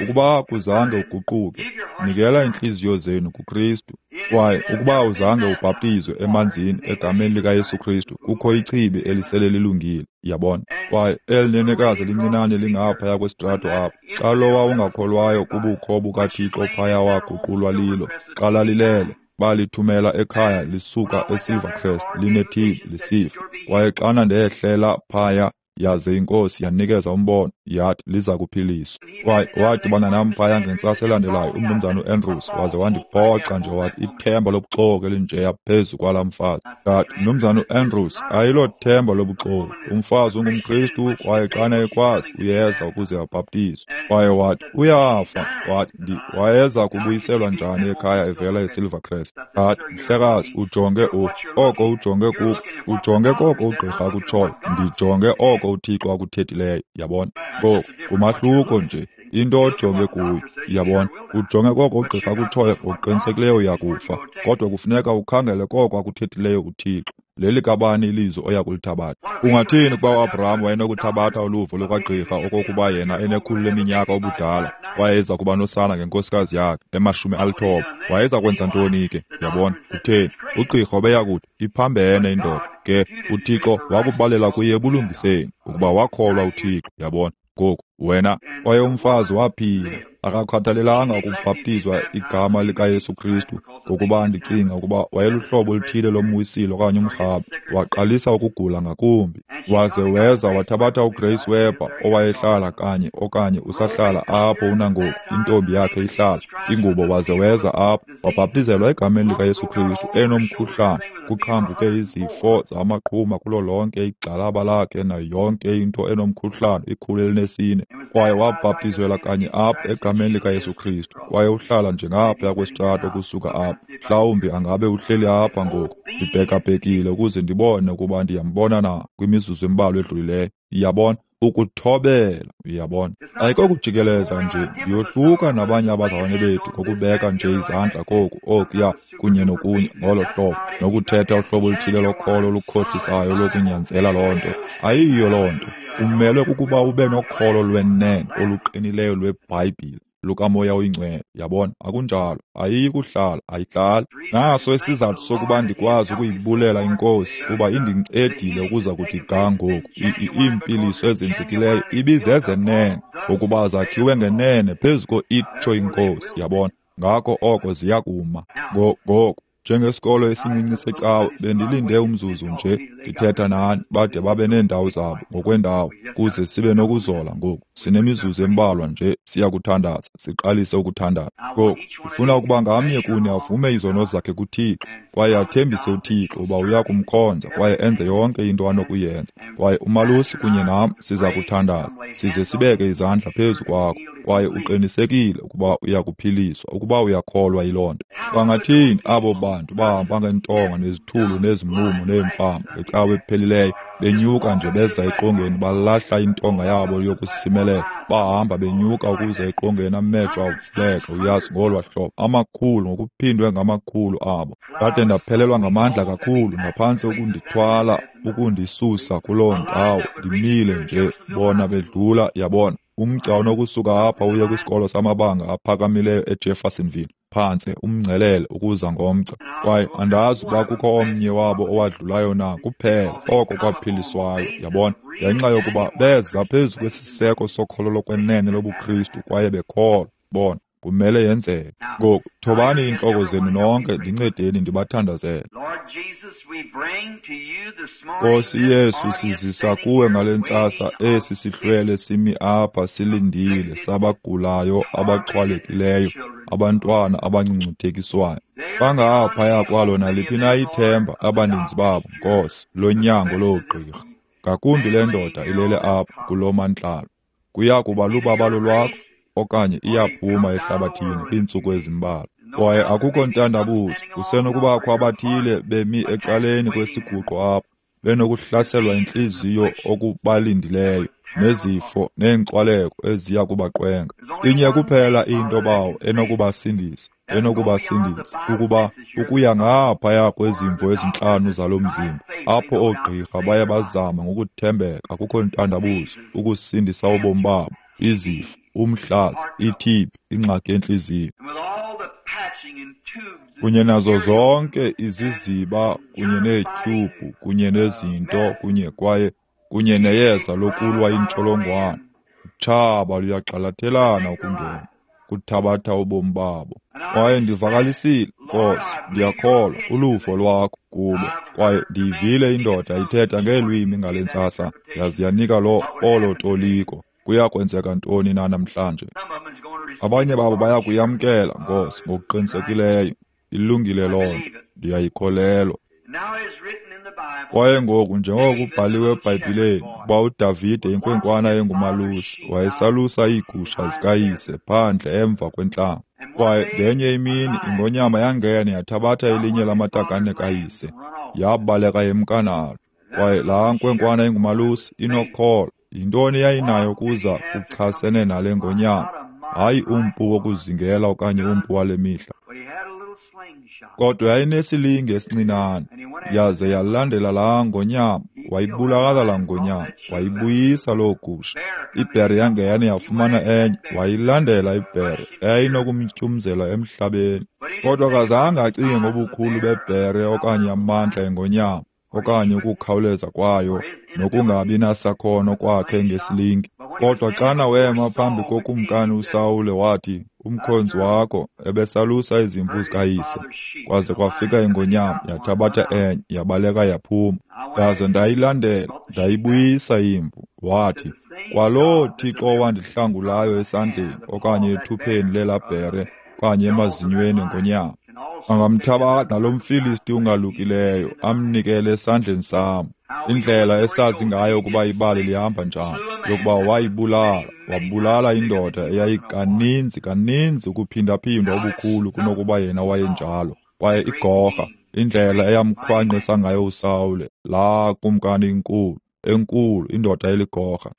Ukuba akuzange uguquke, nikela iintliziyo zenu kuKristu. Kwaye ukuba uzange ubhaptizwe emanzini egameni likaYesu Kristu, kukho ichibi elisele lilungile, yabona. Kwaye eli nenekazi lincinane lingaphaya kwesitrato apha, xa lowa ungakholwayo kubukho bukaThixo phaya waguqulwa lilo, xa lalilele, balithumela ekhaya lisuka eSilvercrest line-T B lisifa. Kwaye xana ndehlela phaya, yaze iNkosi yanikeza umbono, yathi liza kuphiliswa. Kwaye wadibana nam phaya ngentsasa elandelayo umnumzana uAndrews, waze wandiphoxa nje wathi ithemba lobuxoki elinjeya phezu kwalaa mfazi. Ndathi, mnumzana uAndrews, ayilothemba lobuxoki. Umfazi ungumKristu kwaye xana ekwazi uyeza ukuze abhaptizwe. Kwaye wathi, uyafa. Wathi, ndi wayeza kubuyiselwa njani ekhaya evela eSilvercrest? Ndathi, mhlekazi, ujonge u oko ujonge kuko, ujonge koko ugqirha akutshoyo, ndijonge oko uThixo akuthethileyo, yabona. Ngoku ngumahluko nje, into ojonge kuyo, yabona. Ujonge koko ugqirha akutshoyo, ngokuqinisekileyo uyakufa, kodwa kufuneka ukhangele koko akuthethileyo uThixo. Leli kabani ilizwi oya kulithabatha? Ungathini ukuba uAbraham wayenokuthabatha uluvo lukagqirha okokuba yena enekhulu leminyaka ubudala wayeza kuba nosana ngenkosikazi yakhe emashumi alithoba? Wayeza kwenza ntoni ke? Yabona, kutheni? Ugqirha ubeya kuthi iphambene indoda. Ke uThixo wakubalela kuye ebulungiseni ukuba wakholwa uThixo, yabona. Ngoku wena, kwaye umfazi waphila, akakhathalelanga ukubhaptizwa igama likaYesu Kristu, ngokuba ndicinga ukuba wayeluhlobo oluthile lomwisile okanye umrhabe. Waqalisa ukugula ngakumbi, waze weza wathabatha uGrace Webber owayehlala kanye okanye usahlala apho unangoku, intombi yakhe ihlala ingubo, waze weza apho wabhaptizelwa egameni likaYesu Kristu enomkhuhlane, kuqhambuke izifo zamaqhuma kulo lonke igxalaba lakhe nayo yonke into enomkhuhlane, ikhulu elinesine. Kwaye wabhaptizelwa kanye apha egameni likaYesu Kristu, kwaye uhlala nje ngaphaya kwesitrato ukusuka apha. Mhlawumbi angabe uhleli apha ngoku, ndibhekabhekile ukuze ndibone ukuba ndiyambona na kwimizuzu embalwa edlulileyo. Uyabona, ukuthobela, uyabona. Ayikokujikeleza nje, ndiyohluka nabanye abazalwane bethu ngokubeka nje izandla koku, okuya, kunye nokunye ngolo hlobo, nokuthetha uhlobo oluthile lokholo olukhohlisayo lokunyanzela loo nto. Ayiyo loo nto. Umelwe kukuba ube nokholo lwenene oluqinileyo lweBhayibhile lukaMoya oyiNgcwele, yabona. Akunjalo, ayiyi kuhlala, ayihlali. Naso isizathu sokuba ndikwazi ukuyibulela iNkosi kuba indincedile ukuza kuthi ga ngoku. Iimpiliso ezenzekileyo ibizezenene, ngokuba zakhiwe ngenene phezu ko-itsho iNkosi, yabona. Ngako oko ziyakuma. Ngoku njengesikolo esincinci secawa, bendilinde umzuzu nje ndithetha nani bade babe neendawo zabo ngokwendawo kuze sibe nokuzola ngoku. Sinemizuzu embalwa nje siyakuthandaza, siqalise ukuthandaza. Ngoku ndifuna ukuba ngamnye kuni avume izono zakhe kuThixo kwaye athembise uThixo uba uya kumkhonza kwaye enze yonke into anokuyenza. Kwaye umalusi kunye nam siza kuthandaza, size sibeke izandla phezu kwakho, kwaye uqinisekile ukuba uyakuphiliswa ukuba uyakholwa yiloo nto. Bangathini abo bantu bahamba ngeentonga nezithulu nezimumu neemfama ngecawa ephelileyo, benyuka nje beza eqongeni, balahla intonga yabo yokusimelela, bahamba benyuka ukuza eqongeni, amehlo avuleka, uyazi, ngolwa hlobo, amakhulu ngokuphindwe ngamakhulu abo. Ndade ndaphelelwa ngamandla kakhulu, ngaphantsi ukundithwala ukundisusa kuloo ndawo, ndimile nje bona bedlula, yabona. Umgca onokusuka apha uye kwisikolo samabanga aphakamileyo eJeffersonville, phantse umngcelele ukuza ngomgca. Kwaye andazi ukuba kukho omnye wabo owadlulayo na kuphela oko kwaphiliswayo, yabona, ngenxa yokuba beza phezu kwesiseko sokholo lokwenene lobuKristu kwaye bekholwa. Bona, kumele yenzeke. Ngoku thobani iintloko zenu nonke, ndincedeni ndibathandazele. Nkosi Yesu, sizisa kuwe ngale ntsasa esi sihlwele simi apha silindile, sabagulayo, abaxhwalekileyo, abantwana abangcungcuthekiswayo. Bangaphaya kwalo naliphi na ithemba abaninzi babo, Nkosi, lonyango loogqirha. Ngakumbi le ndoda ilele apha kulo mantlalo. Kuya kuba lubabalo lwakho okanye iyaphuma ehlabathini kwiintsuku ezimbalwa. Kwaye akukho ntandabuzo, kusenokubakho abathile bemi ecaleni kwesiguqo apha, benokuhlaselwa yintliziyo okubalindileyo, nezifo neenkxwaleko eziya kubaqwenga. Inye kuphela into, Bawo, enokubasindisa, enokubasindisa, ukuba ukuya ngaphaya kwezimvo ezintlanu zalo mzimba, apho oogqirha baye bazama ngokuthembeka akukho ntandabuzo ukusindisa ubomi babo, izifo, umhlaza, i-T B, ingxaki yentliziyo, kunye nazo zonke iziziba kunye neetyhubhu kunye nezinto kunye kwaye kunye neyeza lokulwa intsholongwane. Utshaba luyagxalathelana ukungena, kuthabatha ubomi babo. Kwaye ndivakalisile, Nkosi, ndiyakholwa uluvo lwakho kubo. Kwaye ndiyivile indoda ithetha ngeelwimi ngale ntsasa, yaze yanika lo olo toliko. Kuya kwenzeka ntoni na namhlanje? Abanye babo baya kuyamkela, Nkosi, ngokuqinisekileyo. Ilungile loo nto, ndiyayikholelwa. Kwaye ngoku, njengoko kubhaliwe eBhayibhileni, ukuba uDavide inkwenkwana engumalusi wayesalusa iigusha zikayise phandle emva kwentlango. Kwaye ngenye imini ingonyama yangena yathabatha elinye lamatakane kayise, yabaleka yemka nalo. Kwaye laa nkwenkwana ingumalusi inokholo. Yintoni yayinayo kuza kuchasene nale ngonyama? Hayi umpu wokuzingela okanye umpu wale mihla. Kodwa yayinesilinge esincinane, yaze yalandela laa ngonyama, wayibulala laa ngonyama, wayibuyisa loo gusha. Ibhere yangena yafumana enye, wayilandela ibhere eyayinokumtyumzela emhlabeni. Kodwa akazange acinge ngobukhulu bebhere okanye amandla engonyama, okanye ukukhawuleza kwayo nokungabi nasakhono kwakhe ngesilinge. Kodwa xana wema phambi kokumkani uSawule wathi, umkhonzi wakho ebesalusa izimvu zikayise, kwaze kwafika ingonyama yathabatha enye yabaleka yaphuma. Ndaze ndayilandela, ndayibuyisa imvu. Wathi, kwaloo Thixo owandihlangulayo esandleni okanye ethupheni lelaa bhere okanye emazinyweni engonyama, angamthabatha nalo mFilisti ungalukileyo amnikele esandleni sam. Indlela esazi ngayo ukuba ibali lihamba njani, yokuba wayibulala, wabulala indoda eyayikaninzi kaninzi ukuphindaphindwa ubukhulu kunokuba yena wayenjalo. Kwaye igorha, indlela eyamkhwanqisa ngayo uSawule, laa kumkani inkulu, enkulu indoda eligorha.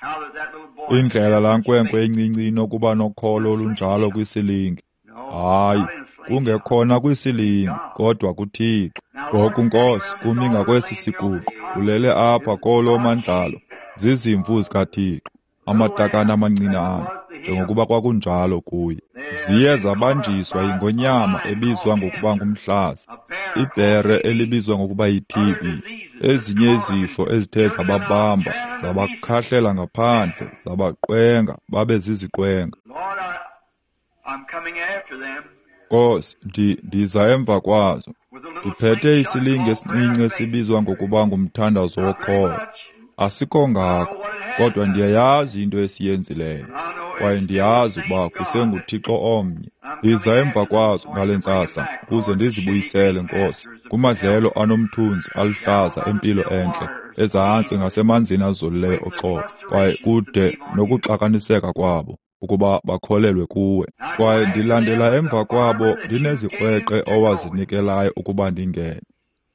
Indlela laa nkwenkwe encinci inokuba nokholo olunjalo kwisilingi. Hayi, kungekhona kwisilingi, kodwa kuThixo. Ngoku, Nkosi, kumi ngakwesi siguqo, ulele apha kolo mandlalo, zizimvu zikaThixo, amatakane amancinane, njengokuba kwakunjalo kuye. Ziye zabanjiswa yingonyama ebizwa ngokuba ngumhlaza, ibhere elibizwa ngokuba yi-T B, ezinye izifo ezithe zababamba, zabakhahlela ngaphandle, zabaqwenga, babe ziziqwenga. Nkosi, ndi ndiza emva kwazo, ndiphethe isilinge esincinci esibizwa ngokuba ngumthandazo wokholo. Asikho ngako, kodwa ndiyayazi into esiyenzileyo, kwaye ndiyazi ukuba kusenguThixo omnye. Ndiza emva kwazo ngale ntsasa ukuze ndizibuyisele, Nkosi, kumadlelo anomthunzi aluhlaza empilo entle, ezantsi ngasemanzini azolileyo oxolo, kwaye kude nokuxakaniseka kwabo, ukuba bakholelwe kuwe. Kwaye ndilandela emva kwabo ndinezikrweqe owazinikelayo ukuba ndingene.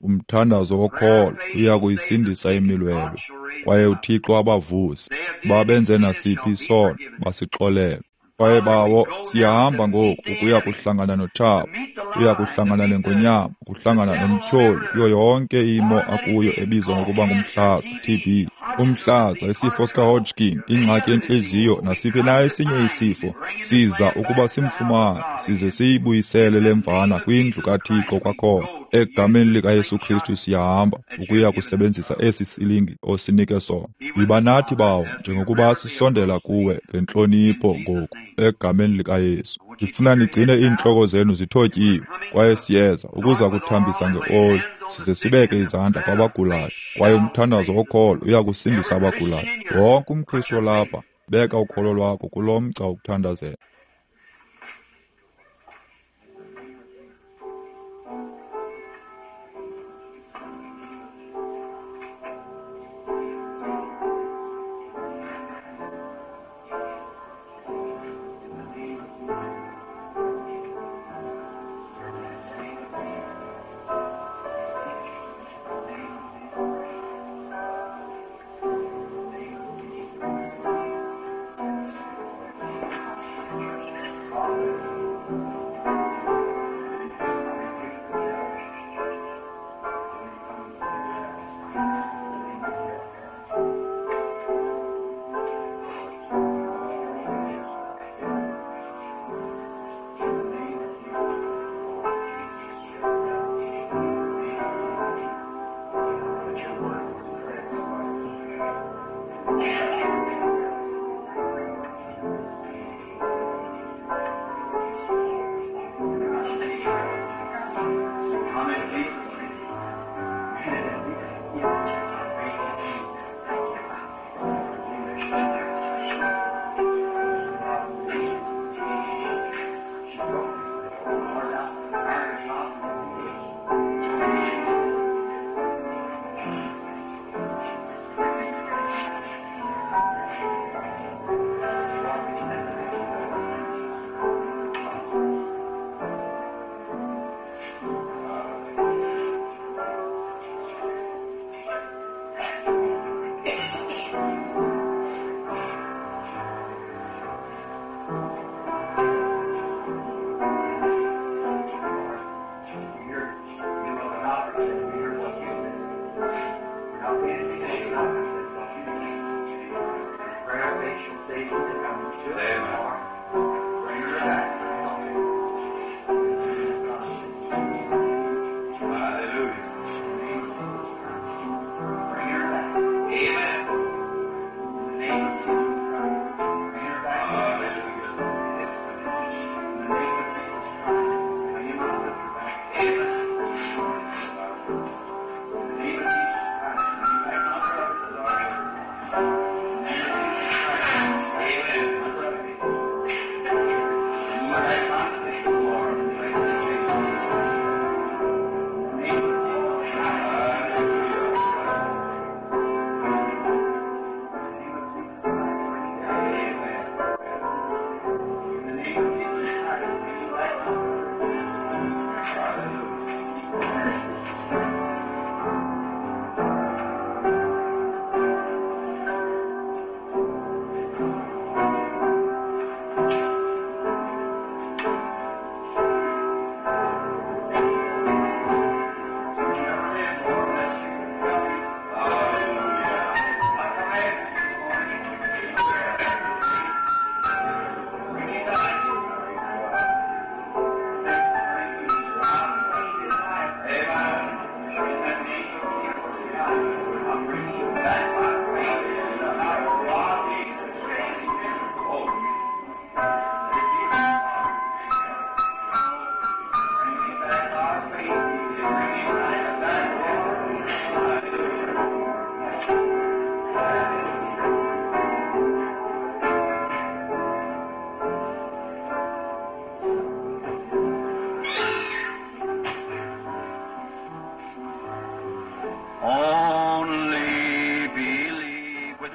Umthandazo wokholo uya kuyisindisa imilwelwe, kwaye uThixo abavuse. Babenze nasiphi isono, basixolele. Kwaye bawo, siyahamba ngoku ukuya kuhlangana notshaba, uya kuhlangana nengonyama, kuhlangana nomtyholi kuyo yonke imo akuyo ebizwa ngokuba ngumhlaza, T B. Umhlaza, isifo sikaHodgkin, ingxaki yentliziyo, nasiphi na esinye isifo, siza ukuba simfumane, size siyibuyisele le mvana kwindlu kaThixo kwakhona. Egameni likaYesu Kristu siyahamba ukuya kusebenzisa esi silingi osinike sona. Yiba nathi, bawo, njengokuba sisondela kuwe ngentlonipho ngoku, egameni likaYesu. Ndifuna nigcine iintloko zenu zithotyiwe, kwaye siyeza ukuza kuthambisa ngeoli, size sibeke izandla kwabagulayo, kwaye umthandazo wokholo uya kusindisa abagulayo. Wonke umKristu olapha, beka ukholo lwakho kulo mgca wokuthandazela.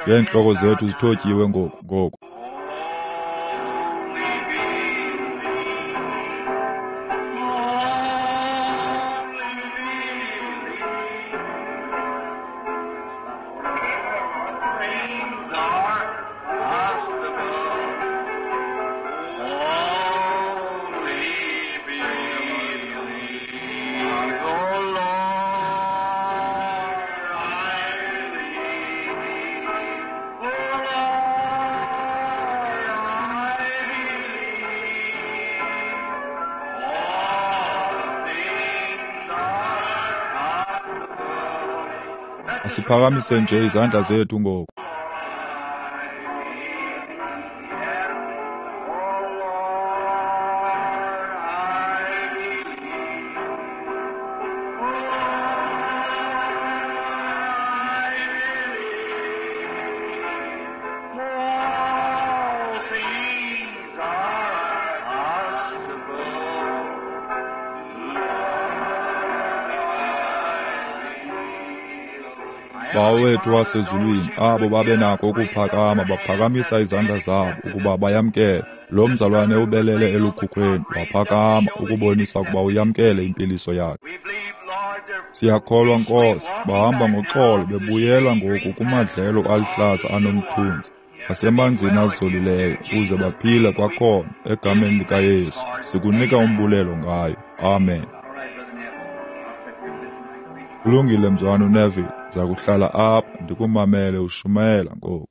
Ngeentloko zethu zithotyiwe ngoku ngoku. Asiphakamise nje izandla zethu ngoku. Bawo wethu wasezulwini, abo babenako ukuphakama baphakamisa izandla zabo ukuba bayamkele. Lo mzalwane ubelele elukhukhweni waphakama ukubonisa ukuba uyamkele impiliso yakhe. Siyakholwa, Nkosi, bahamba ngoxolo bebuyela ngoku kumadlelo aluhlaza anomthunzi nasemanzini azolileyo ukuze baphile kwakhona egameni likaYesu. Sikunika umbulelo ngayo. Amen. Kulungile, mzwana uNeville, ndiza kuhlala apha ndikumamele ushumayela ngoku.